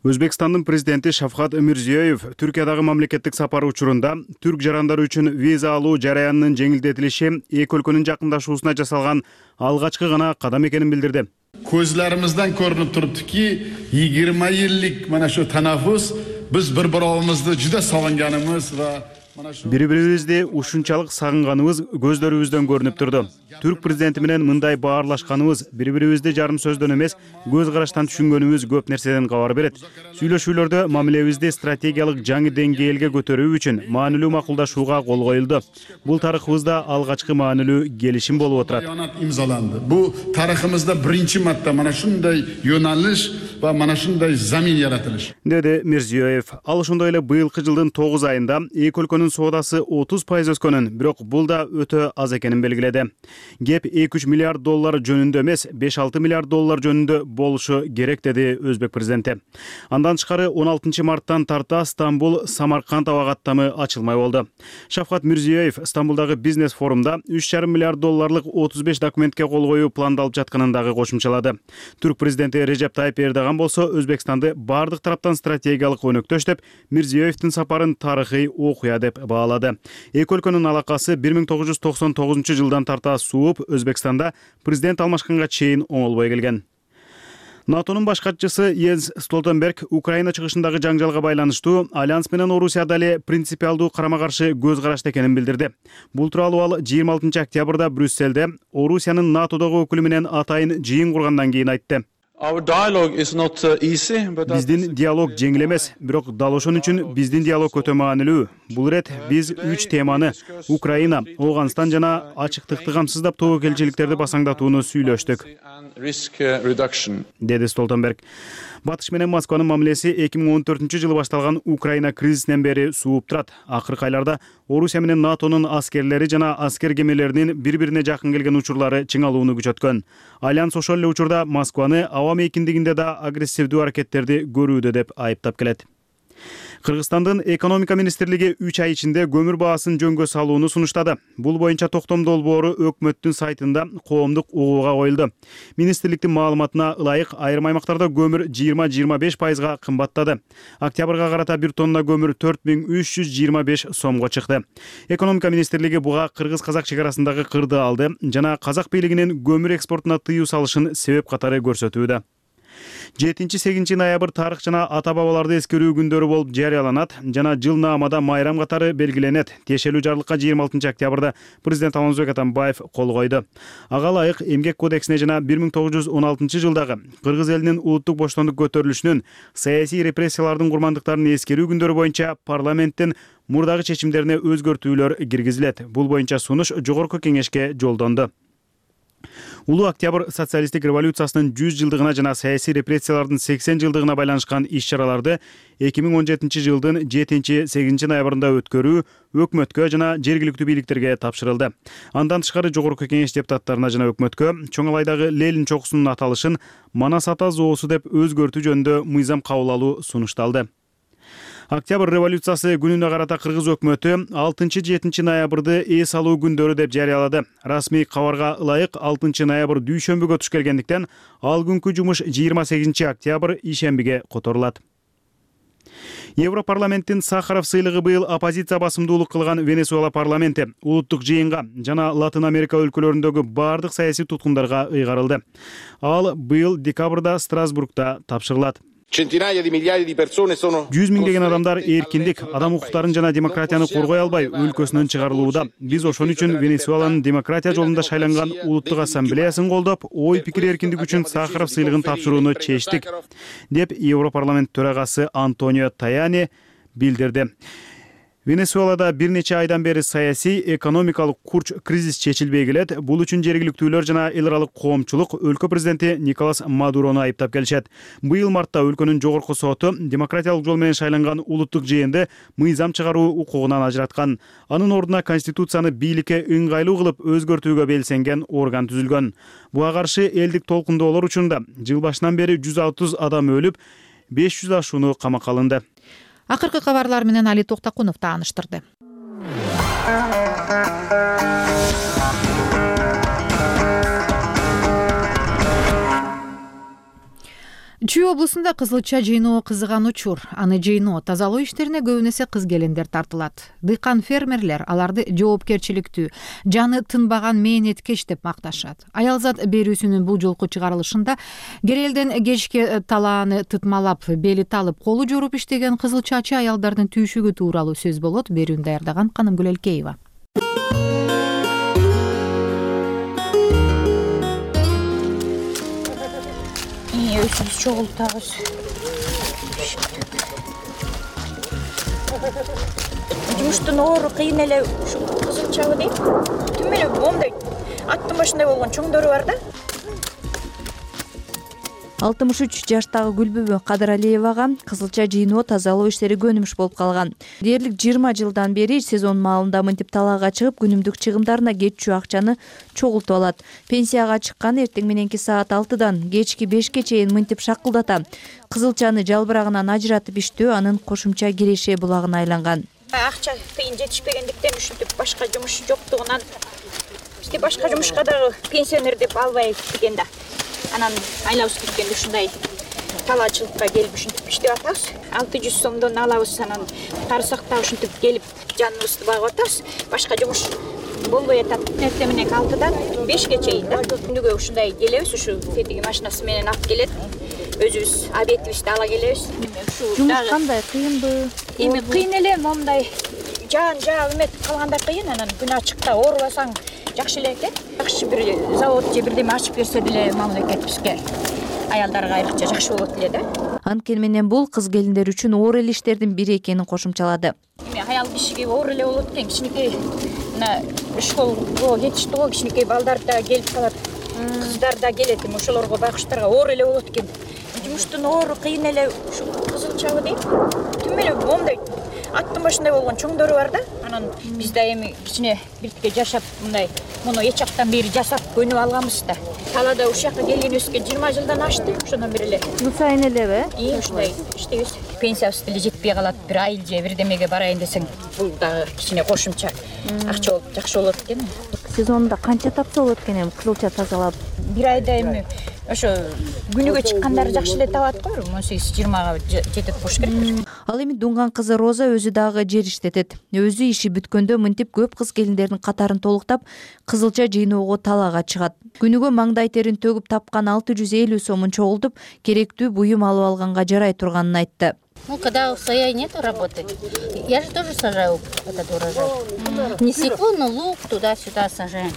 Өзбекстандын президенти Шавкат Мирзиёев Түркиядагы мамлекеттик сапары учурунда түрк жарандары үчүн виза алуу жараянынын жеңилдетилиши эки өлкөнүн жакындашуусуна жасалган алгачкы гана кадам экенин билдирди. Көзлөрүмүздөн көрүнүп туруптуки 20 yıllık mana shu tanaffus biz bir-birimizди juda sog'inganimiz va бири-бирибизди ушунчалык сагынганыбыз көздөрүбүздөн көрүнүп турду. Түрк президенти менен мындай баарлашканыбыз, бири-бирибизди жарым сөздөн эмес, көз караштан түшүнгөнүбүз көп нерседен кабар берет. Сүйлөшүүлөрдө мамилебизди стратегиялык жаңы деңгээлге көтөрүү үчүн маанилүү макулдашууга кол коюлду. Бул тарыхыбызда алгачкы маанилүү келишим болуп отурат. İmzalandı. Bu tariximizde birinci marta mana shunday yo'nalish va mana shunday zamin yaratilish. Dedi Mirziyoyev. Ал ошондой эле быйылкы жылдын 9 айында эки өлкөнүн соодасы 30% өскөнүн, бирок бул да өтө аз экенин белгиледи. Кеп 2-3 миллиард доллар жөнүндө эмес, 5-6 миллиард доллар жөнүндө болушу керек, деди Өзбек президенти. Андан тышкары 16 марттан тарта Стамбул Самарканд аба каттамы ачылмай болду. Шавкат Мирзиёев Стамбулдагы бизнес форумда 3,5 миллиард долларлык 35 документке кол коюу пландалып жатканын дагы кошумчалады. Түрк президенти Режеп Тайип Эрдоган болсо Өзбекстанды бардык тараптан стратегиялык өнөктөш деп, Мирзиёевдин сапарын тарыхый окуя деп баалады. Эки өлкөнүн алакасы 1999 жылдан тарта сууп, Өзбекстанда президент алмашканга чейин оңолбой келген. НАТОнун баш катчысы Йенс Столтенберг Украина чыгышындагы жаңжалга байланыштуу Альянс менен Орусия дале принципиалдуу карама-каршы көз карашта экенин билдирди. Бул тууралуу ал 26 октябрда Брюссельде Орусиянын НАТОдогу өкүлү менен атайын жыйын кургандан кийин айтты. Биздин диалог жеңил эмес, бирок дал ошон үчүн биздин диалог өтө маанилүү. Бул ирет биз 3 теманы Украина, Ооганстан жана ачыктыкты камсыздап тобокелчиликтерди басаңдатууну сүйлөштүк, деди Столтенберг. Батыш менен Москванын мамилеси 2014 жылы башталган Украина кризисинен бери сууп турат. Акыркы айларда Орусия менен НАТОнун аскерлери жана аскер кемелеринин бири-бирине жакын келген учурлары чыңалууну күчөткөн. Альянс ошол эле учурда Москваны аба мейкиндигинде да агрессивдүү аракеттерди көрүүдө деп айыптап келет. Кыргызстандын экономика министрлиги 3 ай ичинде көмүр баасын жөнгө салууну сунуштады. Бул боюнча токтом долбоору өкмөттүн сайтында коомдук угууга коюлду. Министрликтин маалыматына ылайык айрым аймактарда көмүр 20-25%га кымбаттады. Октябрга карата 1 тонна көмүр 4325 сомго чыкты. Экономика министрлиги буга кыргыз-казак чек арасындагы кырды алды жана казак бийлигинин көмүр экспортуна тыюу салышын себеп катары көрсөтүүдө. 7-8 ноябрь тарых жана ата-бабаларды эскерүү күндөрү болуп жарыяланат жана жыл наамада майрам катары белгиленет. Тиешелүү жарлыкка 26 октябрда президент Алмазбек Атамбаев кол койду. Ага ылайык эмгек кодексине жана 1916 жылдагы кыргыз элинин улуттук боштондук көтөрүлүшүнүн саясий репрессиялардын курмандыктарын эскерүү күндөрү боюнча парламенттин мурдагы чечимдерине өзгөртүүлөр киргизилет. Бул боюнча сунуш жогорку кеңешке жолдонду. Улуу октябрь социалисттик революциясынын 100 жылдыгына жана саясий репрессиялардын 80 жылдыгына байланышкан иш-чараларды 2017 жылдын 7-8 ноябрында өткөрүү өкмөткө жана жергиликтүү бийликтерге тапшырылды. Андан тышкары жогорку кеңеш депутаттарына жана өкмөткө Чоңалайдагы Ленин чокусунун аталышын Манас ата зоосу деп өзгөртүү жөнүндө мыйзам кабыл алуу сунушталды. Октябрь революциясы күнүнө карата кыргыз өкмөтү 6-7 ноябрды эс алуу күндөрү деп жарыялады. Расмий кабарга ылайык 6 ноябрь дүйшөмбүгө туш келгендиктен ал күнкү жумуш 28 октябрь ишембиге которулат. Европарламенттин Сахаров сыйлыгы быйыл оппозиция басымдуулук кылган Венесуэла парламенти улуттук жыйынга жана Латын Америка өлкөлөрүндөгү бардык саясий туткундарга ыйгарылды. Ал быйыл декабрда Страсбургда тапшырылат. Centinaia di migliaia di persone sono 100 миңдеген адамдар эркиндик, адам укуктарын жана демократияны коргой албай өлкөсүнөн чыгарылууда. Биз ошон үчүн Венесуэланын демократия жолунда шайланган улуттук ассамблеясын колдоп, ой пикир эркиндиги үчүн Сахаров сыйлыгын тапшырууну чечтик, деп Европарламент төрагасы Антонио Таяни билдирди. Венесуэлада бир нече айдан бери саясий, экономикалык курч кризис чечилбей келет. Бул үчүн жергиликтүүлөр жана эл аралык коомчулук өлкө президенти Николас Мадурону айыптап келишет. Быйыл мартта өлкөнүн жогорку соту демократиялык жол менен шайланган улуттук жыйынды мыйзам чыгаруу укугунан ажыраткан. Анын ордуна конституцияны бийликке ыңгайлуу кылып өзгөртүүгө белсенген орган түзүлгөн. Буга каршы элдик толкундоолор учурунда жыл башынан бери 130 адам өлүп, 500 ашууну камакка алынды. Акыркы кабарлар менен Али Токтакунов тааныштырды. Чүй облусунда кызылча жыйноо кызыган учур. Аны жыйноо, тазалоо иштерине көбүн эсе кыз келиндер тартылат. Дыйкан фермерлер аларды жоопкерчиликтүү, жаны тынбаган мээнеткеч деп макташат. Аялзат берүүсүнүн бул жолку чыгарылышында керелден кечке талааны тытмалап, бели талып, колу жоруп иштеген кызылчачы аялдардын түйшүгү тууралуу сөз болот. Берүүнү даярдаган Канымгүл Элкеева. Өзүбүз чогултабыз. Жумуштун оору кыйын эле ушу кызылчабы дейт. Түм эле момундай аттын башындай болгон чоңдору бар да. 63 жаштагы Гүлбүбү Кадыралиевага кызылча жыйноо тазалоо иштери көнүмүш болуп калган. Дээрлик 20 жылдан бери сезон маалында мынтип талаага чыгып, күнүмдүк чыгымдарына кетчү акчаны чогултуп алат. Пенсияга чыккан эртең мененки саат 6-дан кечки 5-ке чейин мынтип шакылдата. Кызылчаны жалбырагынан ажыратып иштөө анын кошумча киреше булагына айланган. Акча тыйын жетишпегендиктен ушинтип башка жумуш жоктугунан бизде башка жумушка дагы пенсионер деп албай кеткен да. Анан айлабыз бүткөндө ушундай талаачылыкка келип ушинтип иштеп атабыз. 600 сомдон алабыз, анан тарсакта ушинтип келип жаныбызды багып атабыз. Башка жумуш болбой атат. Эртең менен 6-дан 5-ке чейин да. Күнүгө ушундай келебиз, ушу тетиги машинасы менен алып келет. Өзүбүз обедибизди ала келебиз. Жумуш кандай, кыйынбы? Эми кыйын эле, момундай жаан эмет калганда кыйын, анан күн ачыкта оорубасаң жакшы эле экен. Жакшы бир завод же бирдеме ачып берсе деле мамлекет бизге аялдарга айрыкча жакшы болот эле да. Анткени менен бул кыз келиндер үчүн оор эле иштердин бири экенин кошумчалады. Эми аял кишиге оор эле болот экен. Кичинекей мына школго кетишти го, кичинекей балдар да келип калат. Кыздар да келет, эми ошолорго байкуштарга оор эле болот экен. Жумуштун оору кыйын эле ушу кызылчабы дейт. Түм эле момундай аттын башындай болгон чоңдору бар да. Анан биз да эми кичине биртке жашап мындай муну эч жактан бери жасап көнүп алганбыз да. Талаада ушул жака келгенибизге 20 жылдан ашты. Ошондон бери эле жыл сайын элеби? Ушундай иштейбиз. Пенсиябыз деле жетпей калат. Бир айыл же бирдемеге барайын десең, бул дагы кичине кошумча акча болуп жакшы болот экен. Сезонунда канча тапса болот экен эми кызылча тазалап? Бир айда эми ошо күнүгө чыккандары жакшы эле табат го, 18-20га жетет болуш керек. Ал эми дунган кызы Роза өзү дагы жер иштетет. Өзү иши бүткөндө мынтип көп кыз келиндердин катарын толуктап, кызылча жыйноого талаага чыгат. Күнүгө маңдай терин төгүп тапкан 650 сомун чогултуп, керектүү буюм алып алганга жарай турганын айтты. Ну, когда в своей нету работы, я же тоже сажаю этот урожай. Не свеклу, но лук туда-сюда сажаем.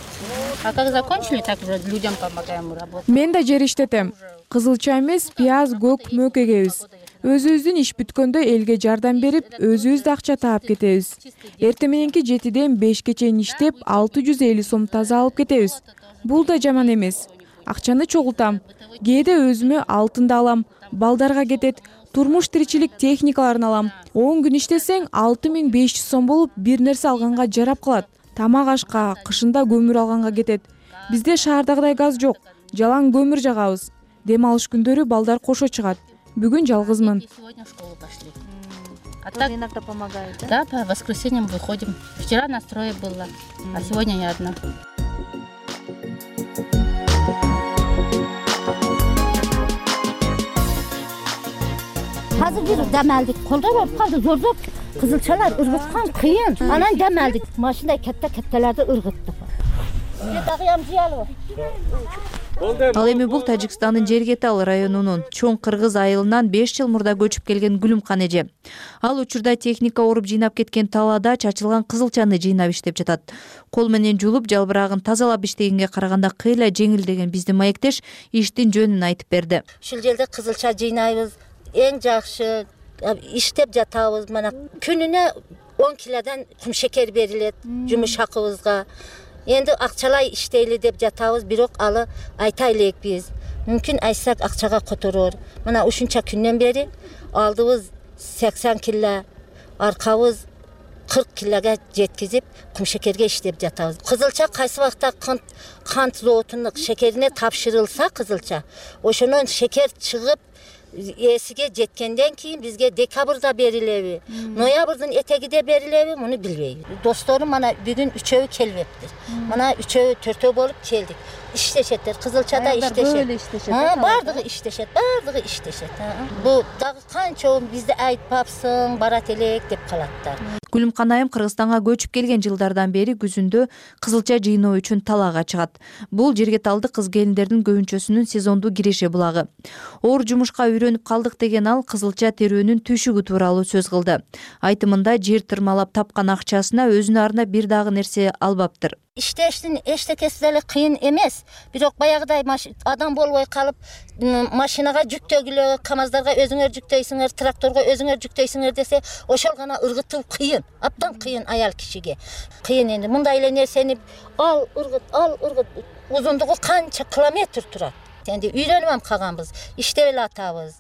А как закончили, так уже людям помогаем работать. Мен да жер иштетем. Кызылча эмес, пияз, көк, мөк эгебиз. Өзүбүздүн иш бүткөндө элге жардам берип, өзүбүз да акча таап кетебиз. Эртең мененки 7-ден 5-ке чейин иштеп, 650 сом таза алып кетебиз. Бул да жаман эмес. Акчаны чогултам. Кээде өзүмө алтынды алам, балдарга кетет. Турмуш тиричилик техникаларын алам. 10 күн иштесең 6500 сом болуп, бир нерсе алганга жарап калат. Тамак ашка, кышында көмүр алганга кетет. Бизде шаардагыдай газ жок. Жалаң көмүр жагабыз. Дем алыш күндөрү балдар кошо чыгат. Бүгүн жалгызмын. Сегодня в школу пошли. А так иногда помогает, да? Да, по воскресеньям выходим. Вчера на строе было, а сегодня я одна. Hazır bir demeldik. Kolda var kaldı zor kızılçalar ırgıtkan kıyın. Anan demeldik. Maşında kettelerde ırgıttık. Bir dağıyam ciyalı var. Ал эми бул Тажикстандын Жергетал районунун Чоң Кыргыз айылынан 5 жыл мурда көчүп келген Гүлүмкан эже. Ал учурда техника уруп жыйнап кеткен талаада чачылган кызылчаны жыйнап иштеп жатат. Кол менен жулуп, жалбырагын тазалап иштегенге караганда кыйла жеңил деген биздин маектеш иштин жөнүн айтып берди. Ушул жерде кызылча жыйнайбыз, эң жакшы иштеп жатабыз. Мына күнүнө 10 килодан кум шекер берилет жумуш акыбызга. Энди акчалай иштейли деп жатабыз, бирок алы айта элекпиз. Мүмкүн айтсак акчага которор. Мына ушунча күндөн бери алдыбыз 80 кило, аркабыз 40 килога жеткизип, кум шекерге иштеп жатабыз. Кызылча кайсы вакытта кант заводунун шекерине тапшырылса кызылча, ошонун шекер чыгып эсиге жеткенден кийин бизге декабрда берилеби, ноябрдын этегиде берилеби, муну билбейбиз. Досторум мана бүгүн 3-өө келбептир. Мана 3-өө 4-өө болуп келдик. Иштешеттер, кызылчада иштешет. Бардыгы иштешет. Бу дагы канча бизди айтпапсың, барат элек деп калаттар. Гүлүмкан айым Кыргызстанга көчүп келген жылдардан бери күзүндө кызылча жыйноо үчүн талаага чыгат. Бул Жергеталды кыз келиндердин көбүнчөсүнүн сезондуу киреше булагы. Оор жумушка үйрөнүп калдык деген ал кызылча терүүнүн түйшүгү тууралуу сөз кылды. Айтымында жер тырмалап тапкан акчасына өзүнө арнап бир дагы нерсе албаптыр. Иштештин эчтекеси деле кыйын эмес. Бирок баягыдай адам болбой калып, машинага жүктөгүлө, КАМАЗдарга өзүңөр жүктөйсүңөр, тракторго өзүңөр жүктөйсүңөр десе, ошол гана ыргытуу кыйын. Абдан кыйын аял кишиге. Кыйын энди мындай эле нерсени ал ыргыт, узундугу канча километр турат. Энди үйрөнүп калганбыз, иштеп эле атабыз.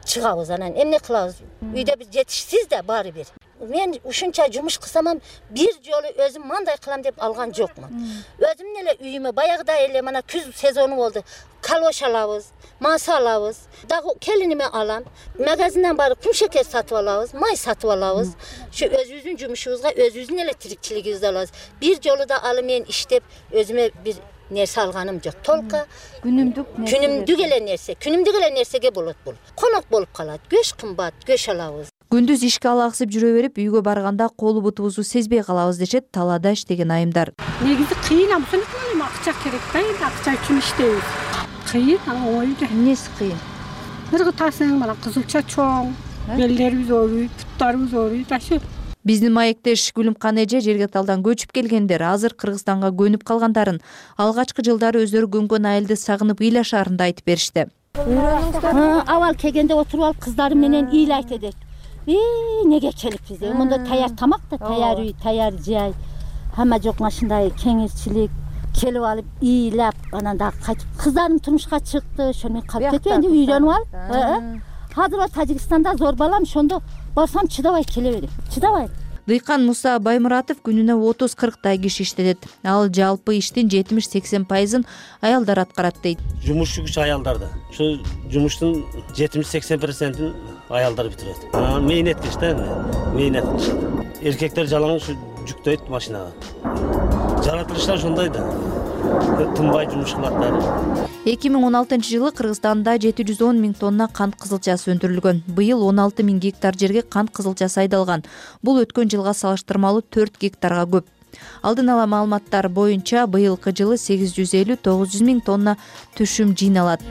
Чыгабыз, анан эмне кылабыз? Үйдө бир жетишсиз да баары бир. Мен ушунча жумуш кылсам, бир жолу өзүм мындай кылам деп алган жокмун. Өзүм эле үйүмө баягыдай эле мына күз сезону болду. Калош алабыз, маса алабыз, дагы келиниме алам. Магазинден барып кум шекер сатып алабыз, май сатып алабыз. Şu өзүбүздүн жумушубузга өзүбүздүн эле тирикчилигибизди алабыз. Бир жолу да алы мен иштеп өзүмө бир нерсе алганым жок. Толка күнүмдүк эле нерсеге болот бул. Конок болуп калат. Көч кымбат, көч алабыз. Күндүз ишке алаксып жүрө берип, үйгө барганда колу бутубузду сезбей калабыз дешет талаада иштеген айымдар. Негизи кыйын, абсолютно акча керек да, акча үчүн иштейбиз. Кыйын, ойду. Эмнеси кыйын? Ыргытасың, мына кызылча чоң, белдерибиз ооруйт, буттарыбыз ооруйт, ашы. Биздин маектеш Гүлүмкан эже Жергеталдан көчүп келгендер азыр Кыргызстанга көнүп калгандарын, алгачкы жылдары өздөрү көнгөн айылды сагынып ыйлашаарында айтып беришти. Авал келгенде отуруп алып кыздарым менен ыйлайт эдик. Неге келиппиз? Мында таяр тамак да, таяр үй, таяр жай. Хамма жок машиндай кеңирчилик. Келип алып ыйлап, анан дагы кайтып кыздарым турмушка чыкты, ошону калып кетип энди үйрөнүп алып. Азыр Тажикстанда зор балам, ошондо барсам чыдабай келе берем. Чыдабай. Дыйкан Муса Баймуратов күнүнө 30-40 киши иштетет. Ал жалпы иштин 70-80% аялдар аткарат дейт. Жумуш күч аялдарда. Ошо жумуштун 70-80%-ин аялдар бүтүрөт. Мэйнеткич да, мэйнеткич. Эркектер жалаң ушу жүктөйт машинага. Жаратылыштар ошондой да. Тынбай жумуш кылаттар. 2016-жылы Кыргызстанда 710 000 тонна кант кызылчасы өндүрүлгөн. Быйыл 16 000 гектар жерге кант кызылчасы айдалган. Бул өткөн жылга салыштырмалуу 4 гектарга көп. Алдын ала маалыматтар боюнча быйылкы жылы 850-900 000 тонна түшүм жыйналат.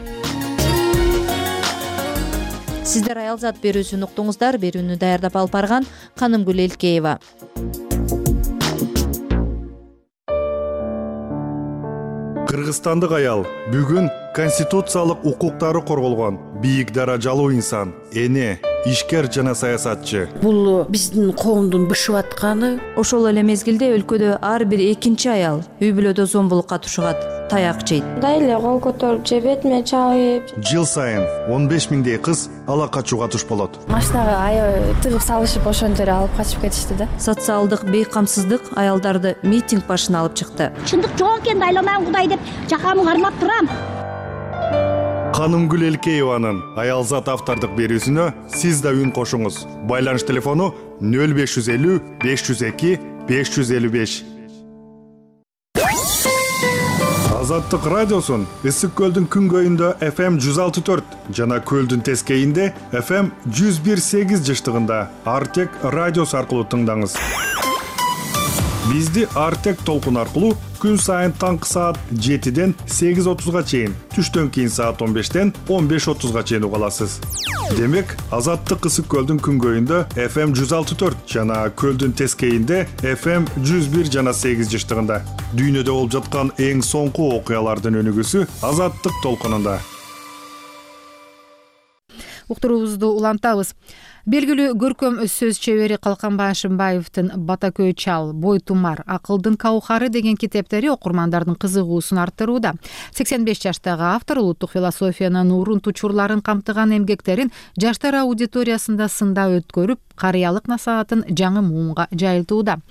Сиздер аялзат берүүсүн уктуңуздар. Берүүнү даярдап алып барган Канымгүл Элкеева. Кыргызстандык аял бүгүн конституциялык укуктары корголгон бийик даражалуу инсан, эне, ишкер жана саясатчы. Бул биздин коомдун бышып атканы. Ошол эле мезгилде өлкөдө ар бир экинчи аял үй бүлөдө зомбулукка тушугат, таяк жейт. Мындай эле кол көтөрүп же бетиме чабып. Жыл сайын 15 000 кыз ала качууга туш болот. Машинага тыгып салышып ошондор алып качып кетишти да. Социалдык бейкамсыздык аялдарды митинг башына алып чыкты. Чындык жок экен, айланам Кудай деп жакамы кармап турам. Канымгүл Элкееванын аялзат автордук берүүсүнө сиз да үн кошуңуз. Байланыш телефону 0550 502 555. Азаттык радиосун Ысык көлдүн күнгөйүндө FM 106.4 жана көлдүн тескейинде FM 101.8 жыштыгында Артек радиосу аркылуу тыңдаңыз. Бизди Артек толкун аркылуу күн сайын таңкы саат 7ден 8:30 чейин, түштөн кийин саат 15ден 15:30 чейин уга аласыз. Демек, Азаттык ысык көлдүн күнгөйүндө FM 106.4 жана көлдүн тескейинде FM 101 жана 8 жыштыгында. Дүйнөдө болуп жаткан эң соңку окуялардын өнүгүүсү Азаттык толкунунда. Уктуруубузду улантабыз. Белгилүү көркөм сөз чебери Калканбай Ашимбаевдин Бата көй чал, Бой тумар, Акылдын каухары деген китептери окурмандардын кызыгуусун арттырууда. 85 жаштагы автор улуттук философиянын урунт учурларын камтыган эмгектерин жаштар аудиториясында сындап өткөрүп, карыялык насаатын жаңы муунга жайылтууда.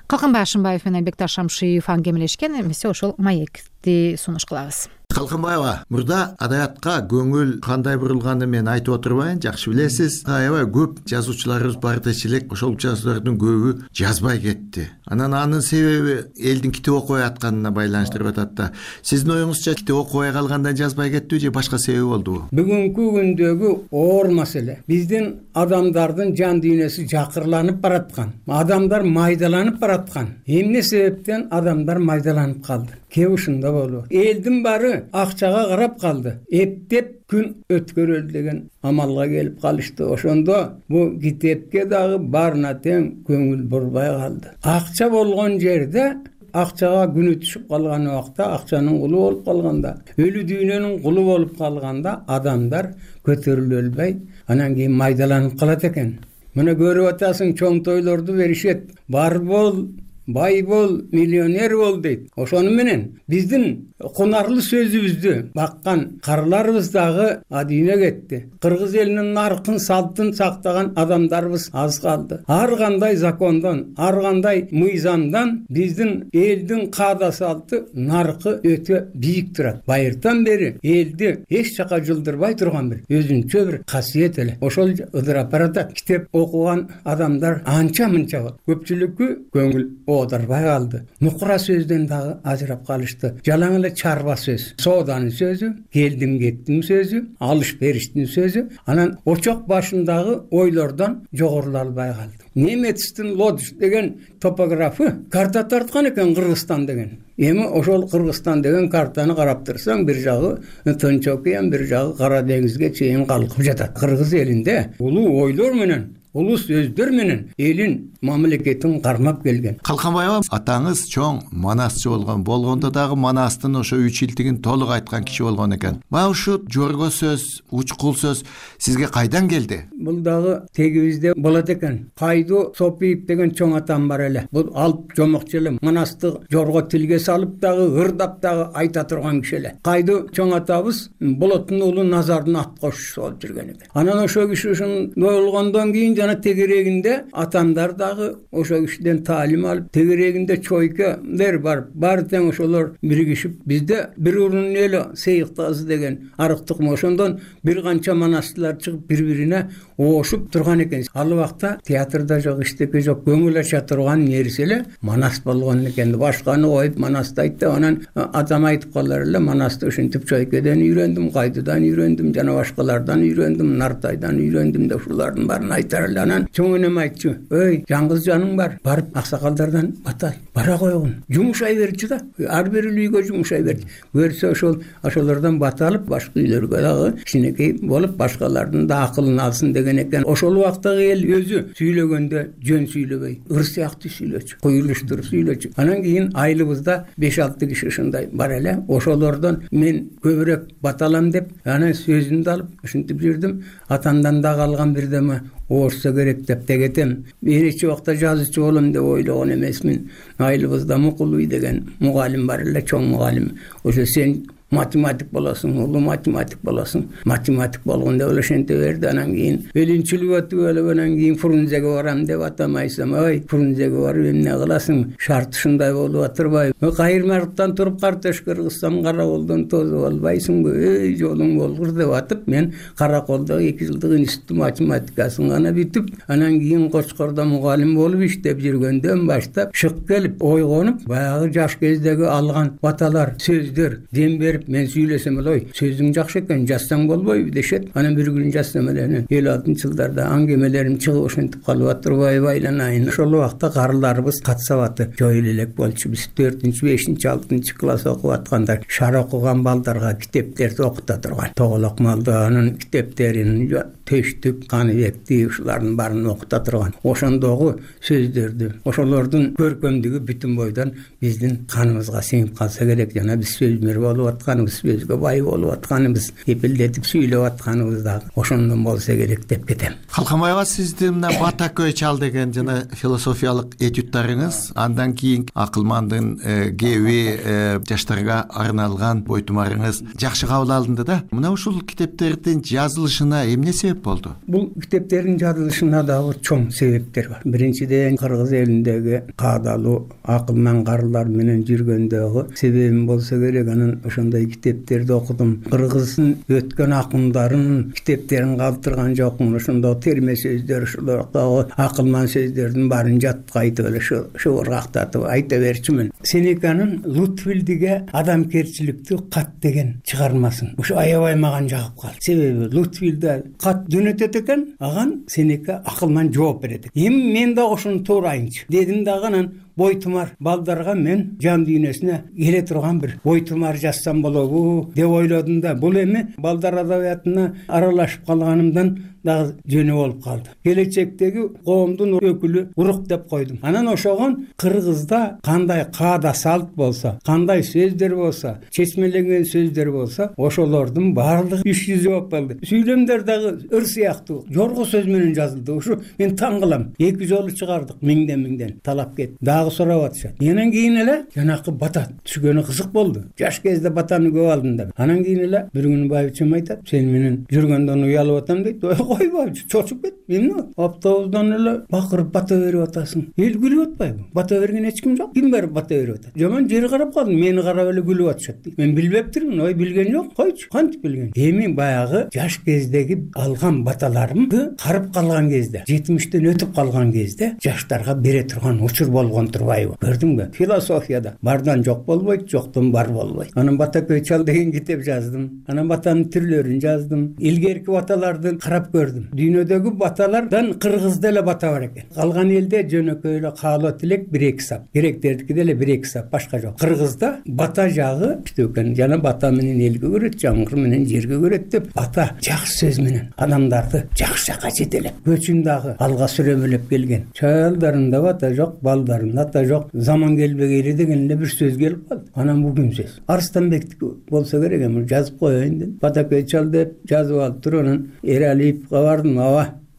Калканбай Ашимбаев менен Бекташ Шамшиев аңгемелешкен, эмесе ошол маекти сунуш кылабыз. Калканбаева, мурда адаятка көңүл кандай бурулганын мен айтып отурбайын, жакшы билесиз. Аябай көп жазуучуларыбыз бар дечелек, ошол жазуулардын көбү жазбай кетти. Анын себеби элдин китеп окубай атканына байланыштырып атат да. Сиздин оюңузча китеп окубай калгандан жазбай кеттиби же башка себеби болдубу? Бүгүнкү күндөгү оор маселе. Биздин адамдардын жан дүйнөсү жакырланып бараткан. Адамдар майдаланып бараткан. Эмне себептен адамдар майдаланып калды? Кээ ушунда болду. Элдин баары акчага карап калды. Эптеп күн өткөрөлү деген амалга келип калышты. Ошондо бу китепке дагы барына тең көңүл бурбай калды. Акча болгон жерде акчага күнү түшүп калган убакта, акчанын кулу болуп калганда, өлү дүйнөнүн кулу болуп калганда адамдар көтөрүлө албай, анан кийин майдаланып калат экен. Мына көрүп атасың, чоң тойлорду беришет. Бар бол, бай бол, миллионер бол дейт. Ошону менен биздин кунарлы сөзүбүздү баккан карыларыбыз дагы адийне кетти. Кыргыз элинин наркын, салтын сактаган адамдарыбыз аз калды. Ар кандай закондон, ар кандай мыйзамдан биздин элдин каада салты, наркы өтө бийик турат. Байыртан бери элди эч жака жылдырбай турган бир өзүнчө бир касиет эле. Ошол ыдырап баратат. Китеп окуган адамдар анча-мынча болот. Көпчүлүккө көңүл оодарбай калды. Нукура сөздөн дагы ажырап калышты. Жалаң эле чарба сөз, сооданын сөзү, келдим кеттим сөзү, алыш бериштин сөзү, анан очок башындагы ойлордон жогорулай албай калды. Немецтин Лодж деген топографы карта тарткан экен Кыргызстан деген. Эми ошол Кыргызстан деген картаны карап турсаң, бир жагы Тынч океан, бир жагы Кара деңизге чейин калкып жатат. Кыргыз элинде улуу ойлор менен, улуу сөздөр менен элин мамлекетин кармап келген. Калканбаева, атаңыз чоң манасчы болгондо дагы манастын ошо 3 илтигин толук айткан киши болгон экен. Мына ушу жорго сөз, учкул сөз сизге кайдан келди? Бул дагы тегибизде болот экен. Кайду Сопиев деген чоң атам бар эле. Бул алып жомокчу эле, манасты жорго тилге салып дагы, ырдап дагы айта турган киши эле. Кайду чоң атабыз Болоттун уулу Назардын ат кошчусу болуп жүргөн экен. Анан ошо киши ушундой болгондон кийин жана тегерегинде атамдар дагы ошо кишиден таалим алып, тегерегинде чойкалар бар тең ошолор биригишип, бизде бир урун эле Сейиктазы деген арыктык ошондон бир канча манастылар чыгып бири-бирине оошуп турган экен. Ал убакта театрда жок, иштеке жок, көңүл ача турган нерсе эле манас болгон экен. Башканы коюп манасты айтты. Анан атам айтып калар эле, манасты ушинтип чойкеден үйрөндүм, кайдыдан үйрөндүм, жана башкалардан үйрөндүм, Нартайдан үйрөндүм деп ушулардын баарын айтар эле. Анан чоң энем айтчу, "Ой, жаңгыз жаның бар, барып аксакалдардан бата бара койгун, жумушай берчү да." Ар бир үйгө жумушай берди. Көрсө ошолордон бата алып, башка үйлөргө дагы кичинекей болуп, башкалардын да акылын алсын деген экен. Ошол убактагы эл өзү сүйлөгөндө жөн сүйлөбөй, ыр сыяктуу сүйлөчү, куюлуштуруп сүйлөчү. Анан кийин айылыбызда 5-6 киши ушундай бар эле. Ошолордон мен көбүрөөк бата алам деп, анан сөзүмдү алып ушинтип жүрдүм. Атамдан да калган бирдеме оорусса керек деп тегетем. Мен эч убакта жазуучу болом деп ойлогон эмесмин. Айылыбызда Мукулуй деген мугалим бар эле, чоң мугалим. Ошо сен математик болосуң, улуу математик болосуң. Математик болгондо эле ошенте берди. Анан кийин белинчилик өтүп эле, анан кийин Фрунзеге барам деп атам айтсам, "Ой, Фрунзеге барып эмне кыласың? Шарт ушундай болуп атырбайбы? Кайырмалыктан туруп картош кыргызсам караколдон тозуп албайсыңбы? Эй, жолуң болгур" деп атып, мен Караколдо 2 жылдык институт математикасын гана бүтүп, анан кийин Кочкордо мугалим болуп иштеп жүргөндөн баштап шык келип, ойгонуп, баягы жаш кездеги алган баталар, сөздөр, дем берип келип мен сүйлөсөм эле ой сөзүң жакшы экен жазсаң болбойбу дешет. Анан бир күнү жазсам эле 56-жылдарда аңгемелерим чыгып ошентип калып атырбайбы айланайын. Ошол убакта карыларыбыз кат сабаты жойула элек болчу. Биз 4-5-6 класс окуп атканда шар окуган балдарга китептерди окута турган. Тоголок Малдаанын китептерин, Төштүк, Каныбекти ушулардын баарын окута турган. Ошондогу сөздөрдү, ошолордун көркөмдүгү бүтүн бойдон биздин каныбызга сиңип калса керек. Жана биз сөзмөр болуп атканыбыз, сөзгө бай болуп атканыбыз, эпилдетип сүйлөп атканыбыз дагы ошондон болсо керек деп кетем. Калкамайга сиздин мына Бата көй чал деген жана философиялык этюдтарыңыз, андан кийин Акылмандын кеби жаштарга арналган бойтумарыңыз жакшы кабыл алынды да. Мына ушул китептердин жазылышына эмне себеп болду? Бул китептердин жазылышына дагы чоң себептер бар. Биринчиден кыргыз элиндеги каадалуу акылман карылар менен жүргөндөгү себебим болсо керек. Анан ошондой китептерди окудум. Кыргыздын өткөн акындарын китептерин калтырган жокмун. Ошондо терме сөздөр, ошолордогу акылман сөздөрдүн баарын жатка айтып эле шыбыргактатып айта берчүмүн. Сенеканын Лутвилдиге адамгерчиликтүү кат деген чыгармасын ушу аябай мага жагып калды. Себеби Лутвилде кат жөнөтөт экен, аган Сенека акылман жооп берет. Эми мен да ошону туура айынчы дедим дагы. Анан бойтумар балдарга мен жан дүйнөсүнө келе турган бир бойтумар жазсам болобу деп ойлодум да. Бул эми балдар адабиятына аралашып калганымдан дагы жөнү болуп калды. Келечектеги коомдун өкүлү урук деп койдум. Анан ошогон Кыргызда кандай каада салт болсо, кандай сөздөр болсо, чечмеленген сөздөр болсо, ошолордун баардыгы үч жүзү болуп калды. Сүйлөмдөр дагы өр сыяктуу жорго сөз менен жазылды. Ушу мен таң кылам. 2 жолу чыгардык, миңден талап кетти. Дагы сурап атышат. Анан кийин эле жанакы Бата түшкөнү кызык болду. Жаш кезде Батаны көп алдым да. Анан кийин эле бир күнү байбичем айтат, сен менен жүргөндөн уялып атам дейт. Койбой, чочуп кет. Эмне? Автобустан эле бакырып бата берип атасың. Эл күлүп атпайбы? Бата берген эч ким жок. Ким барып бата берип атат? Жаман жери карап калдым. Мени карап эле күлүп атышат дейт. Мен билбептирмин. Ой, билген жок. Койчу. Кантип билген? Эми баягы жаш кездеги алган баталарымды карып калган кезде, 70тен өтүп калган кезде жаштарга бере турган учур болгон турбайбы? Көрдүңбү? Философияда бардан жок болбойт, жоктон бар болбойт. Анан Бата көй чал деген китеп жаздым. Анан батанын түрлөрүн жаздым. Илгерки баталарды карап көрдүм. Дүйнөдөгү баталардан кыргызда эле бата бар экен. Калган элде жөнөкөй эле каалоо тилек 1-2 сап. Гректердики деле 1-2 сап, башка жок. Кыргызда бата жагы иштүү экен. Жана бата менен элге көрөт, жаңгыр менен жерге көрөт деп бата жакшы сөз менен адамдарды жакшы жака жетелеп, көчүн дагы алга сүрөмөлөп келген. Чаялдарында бата жок, балдарында ата жок. Заман келбегейли деген эле бир сөз келип калды. Анан бул ким сөз? Арыстанбектики болсо керек, эми жазып коеюн деп. Бата көй чал деп жазып алып туруп анан Эралиевге бардым.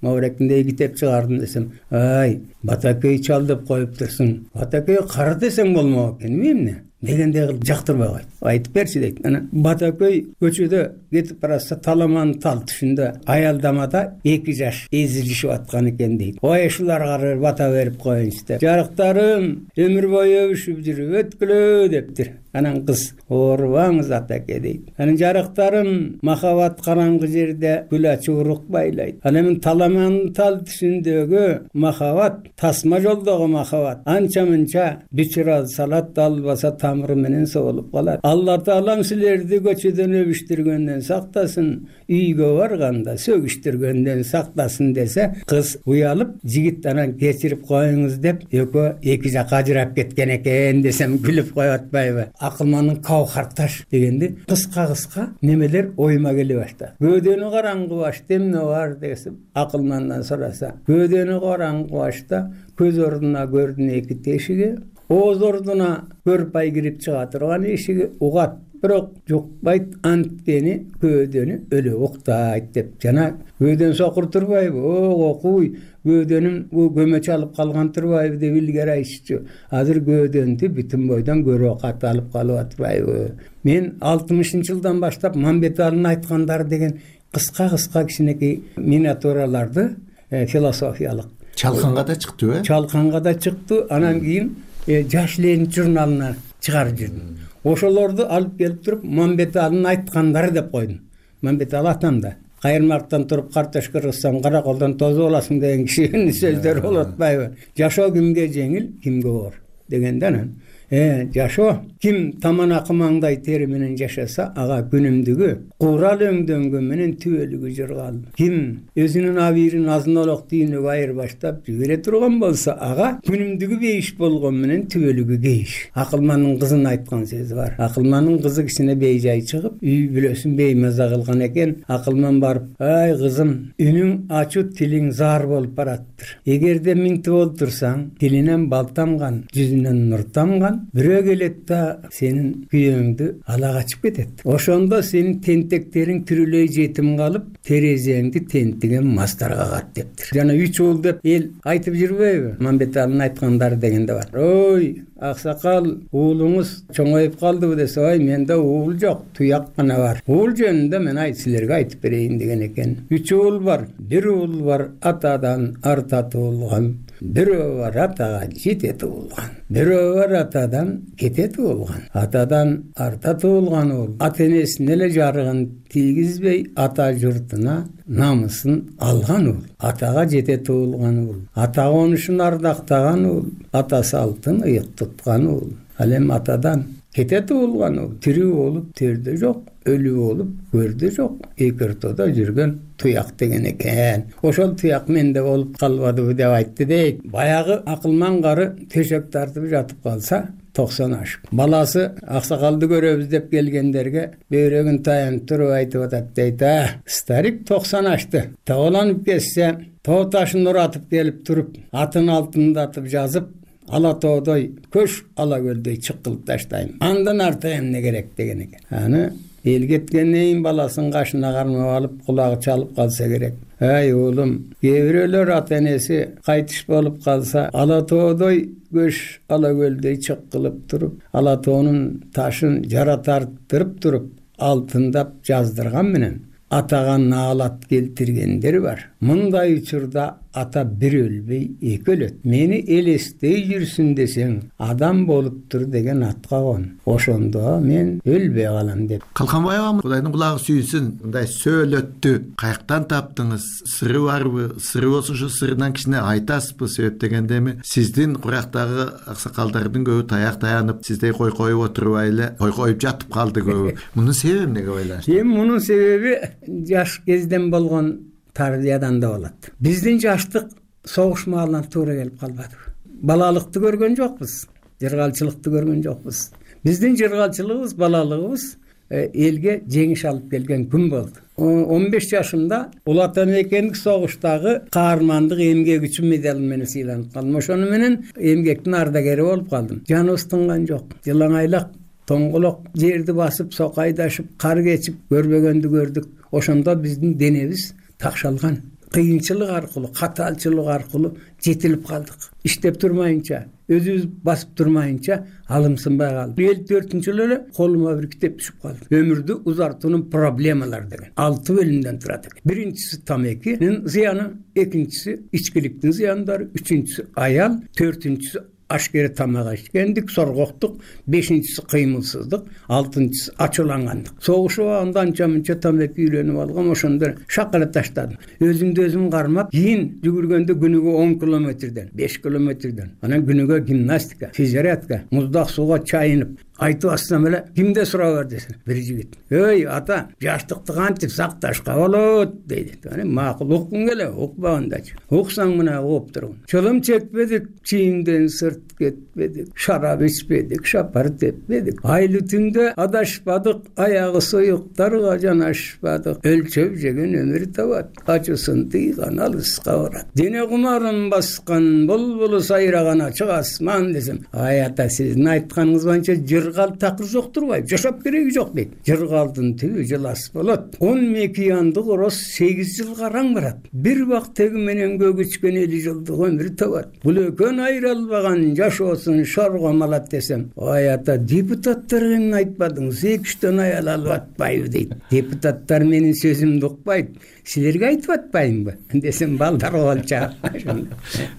Маврекиндеги китеп чыгардым десем, ай, Бата көй чал деп коюп турсуң. Бата көй кара десең болмок экен, эмне? Дегендей кылып жактырбай койду. Айтып берчи дейт. Анан Бата көй көчөдө кетип баратса таламан тал түшүндө аялдамада 2 жаш эзилишип аткан экен дейт. Ой, ушуларга бата берип коеюнчу деп. Жарыктарым өмүр бою өбүшүп жүрүп өткүлө дептир. Анан кыз, оорубаңыз атаке дейт. Анан жарыктарым махабат караңгы жерде гүл ачып урук байлайт. Анан таламан тал түшүндөгү махабат, тасма жолдогу махабат анча мынча бичира салат албаса тамыры менен соолуп калат. Алла таалам силерди көчөдөн өбүштүргөндөн сактасын, үйгө барганда сөгүштүргөндөн сактасын десе, кыз уялып, жигит анан кечирип коюңуз деп экөө 2 жакка ажырап кеткен экен десем күлүп коюп атпайбы? Акылмандын Кавхарташ дегенди кыска немелер оюма келе баштады. Көөдөнү караңгы башта эмне бар десем, Акылмандан сураса, көөдөнү караңгы башта көз ордуна көрдүн 2 тешиги, ооз ордуна көрпай кирип чыга турган эшиги угат, бирок жукпайт, анткени көөдөнү өлө уктайт деп. Жана көөдөн сокур турбайбы? Окуй, көөдөнүн бу көмөч алып калган турбайбы деп илгери айтышчу. Азыр көөдөндү бүтүн бойдон көрө кат алып калып атпайбы? Мен 60-жылдан баштап Мамбеталынын айткандары деген кыска кичинекей миниатюраларды философиялык Чалканга да чыкты, Чалканга да чыкты. Анан кийин Жаш Ленин журналына чыгарып жүрдүм. Ошолорду алып келип туруп Мамбеталынын айткандары деп койдум. Мамбетал атамда кайырмактан туруп картошка кырсаң караколдон тозуп аласың деген кишинин сөздөрү болуп атпайбы? Жашоо кимге жеңил, кимге оор дегенде анан жашоо ким таман акымаңдай тери менен жашаса ага күнүмдүгү курал өңдөнгөн менен түбөлүгү жыргал. Ким өзүнүн абийирин азын-олок түйүнүгө айырбаштап жибере турган болсо ага күнүмдүгү бейиш болгон менен түбөлүгү кейиш. Акылмандын кызын айткан сөзү бар. Акылмандын кызы кичине бейжай чыгып, үй бүлөсүн беймаза кылган экен. Акылман барып: "Ай кызым, үнүң ачуу, тилиң заар болуп бараттыр. Эгерде минтип олтурсаң, тилинен бал тамган, жүзүнөн нур тамган, бирөө келет да сенин күйөөңдү ала качып кетет. Ошондо сенин тентектериң тирүүлөй жетим калып, терезеңди тентиген мастар кагат" дептир. Жана 3 уул деп эл айтып жүрбөйбү? Мамбеталинин айткандары дегенде бар. Ой, аксакал, уулуңуз чоңоюп калдыбы десе, ой, менде уул жок, туяк гана бар. Уул жөнүндө мен силерге айтып берейин деген экен. 3 уул бар. Бир уул бар атадан арта туулган, бирөө бар атага жете туулган, бирөө бар атадан кете туулган. Атадан арта туулган уул ата энесине эле жарыгын тийгизбей ата журтуна намысын алган уул. Атага жете туулган уул ата конушун ардактаган уул, ата салтын ыйык туткан уул. Ал эми атадан кете туулган уул тирүү болуп төрдө жок, өлүү болуп көрдө жок, эки ортодо жүргөн туяк деген экен. Ошол туяк менде болуп калбадыбы деп айтты дейт. Баягы акылман кары төшөк тартып жатып калса 90 ашып. Баласы аксакалды көрөбүз деп келгендерге бөйрөгүн таянып туруп айтып атат дейт. Старик 90 ашты. Тааланып кетсе, тоо ташын уратып келип туруп, атын алтындатып жазып, ала тоодой көш, ала көлдөй чыккылып таштайм. Андан арты эмне керек деген экен. Аны эл кеткенден кийин баласын кашына кармап алып, кулагы чалып калса керек. Ай уулум, кээ бирөөлөр ата энеси кайтыш болуп калса, ала тоодой көш, ала көлдөй чыккылып туруп, ала тоонун ташын жара тартырып туруп, алтындап жаздырган менен атага наалат келтиргендер бар. Мындай учурда ата бир өлбөй эки өлөт. Мени элестей жүрсүн десең, адам болуптур деген атка кон. Ошондо мен өлбөй калам деп. Калканбай агам, Кудайдын кулагы сүйүнсүн, мындай сөөлөттү каяктан таптыңыз? Сыры барбы? Сыры болсо ушу сырынан кичине айтасызбы? Себеп дегенде эми сиздин курактагы аксакалдардын көбү таяк таянып, сиздей кой коюп отурбай эле кой коюп жатып калды көбү. Мунун себеби эмнеге ойлойсуз? Мунун себеби жаш кезден болгон тарбиядан да болот. Биздин жаштык согуш маалынан туура келип калбады. Балалыкты көргөн жокпуз, жыргалчылыкты көргөн жокпуз. Биздин жыргалчылыгыбыз, балалыгыбыз элге жеңиш алып келген күн болду. 15 жашымда Улуу Ата Мекендик согуштагы каармандык эмгек үчүн медаль менен сыйланып калдым. Ошону менен эмгектин ардагери болуп калдым. Жаныбыз тынган жок. Жылаңайлак, тоңголок жерди басып, сокайдашып, кар кечип көрбөгөндү көрдүк. Ошондо биздин денебиз такшалган. Кыйынчылык аркылуу, катаалчылык аркылуу жетилип калдык. Иштеп турмайынча, өзүбүз басып турмайынча алымсынбай калды. 54-жылы эле колума бир китеп түшүп калды. Өмүрдү узартуунун проблемалары деген. 6 бөлүмдөн турат экен. Биринчиси тамекинин зыяны, экинчиси ичкиликтин зыяндары, үчүнчүсү аял, төртүнчүсү ашкере тамак ичкендик, соргоктук, бешинчиси кыймылсыздык, алтынчысы ачуулангандык. Согушуп анда анча-мынча тамеки үйлөнүп алгам, ошондо шакыра таштадым. Өзүмдү өзүм кармап, кийин жүгүргөндө күнүгө 10 километрден, 5 километрден, анан күнүгө гимнастика, физзарядка, муздак сууга чайынып, айтып атсам эле кимде сурап бар десем, бир жигит. Ой, ата, жаштыкты кантип сакташка болот дейт. Аны макул уккун келе, укпагандачы. Уксаң мына угуп тургун. Чылым чекпедик, чийимден сырт кетпедик, шарап ичпедик, шапар теппедик. Айлы түндө адашпадык, аягы суюктарга жанашпадык. Өлчөп жеген өмүр табат, ачысын тыйган алыска барат. Дене кумарын баскан, булбулу сайраган ачык асман десем, ай ата, сиздин айтканыңыз боюнча жыргал такыр жок турбайбы? Жашап кереги жок дейт. Жыргалдын түбү жылас болот. 10 мекиянды короз 8 жылга араң барат. Бир бак теги менен көгүчкөн 50 жылдык өмүр табат. Бул экөөнү айыра албаган жашоосун шорго малат десем, ой ата, депутаттар эмне айтпадыңыз? 2-3 аял алып атпайбы дейт. Депутаттар менин сөзүмдү укпайт. Силерге айтып атпаймынбы десем, балдар болчу.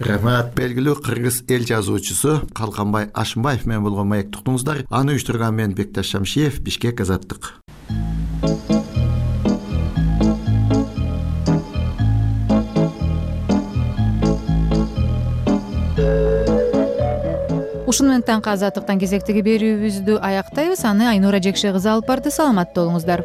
Рахмат. Белгилүү кыргыз эл жазуучусу Калканбай Ашымбаев менен болгон маек туктуңуздар. Аны уюштурган мен Бекташ Шамшиев, Бишкек, Азаттык. Ушундай ушуну менен таңкы азаттыктан кезектеги берүүбүздү аяктайбыз. Аны Айнура Жекше кызы алып барды. Саламатта болуңуздар.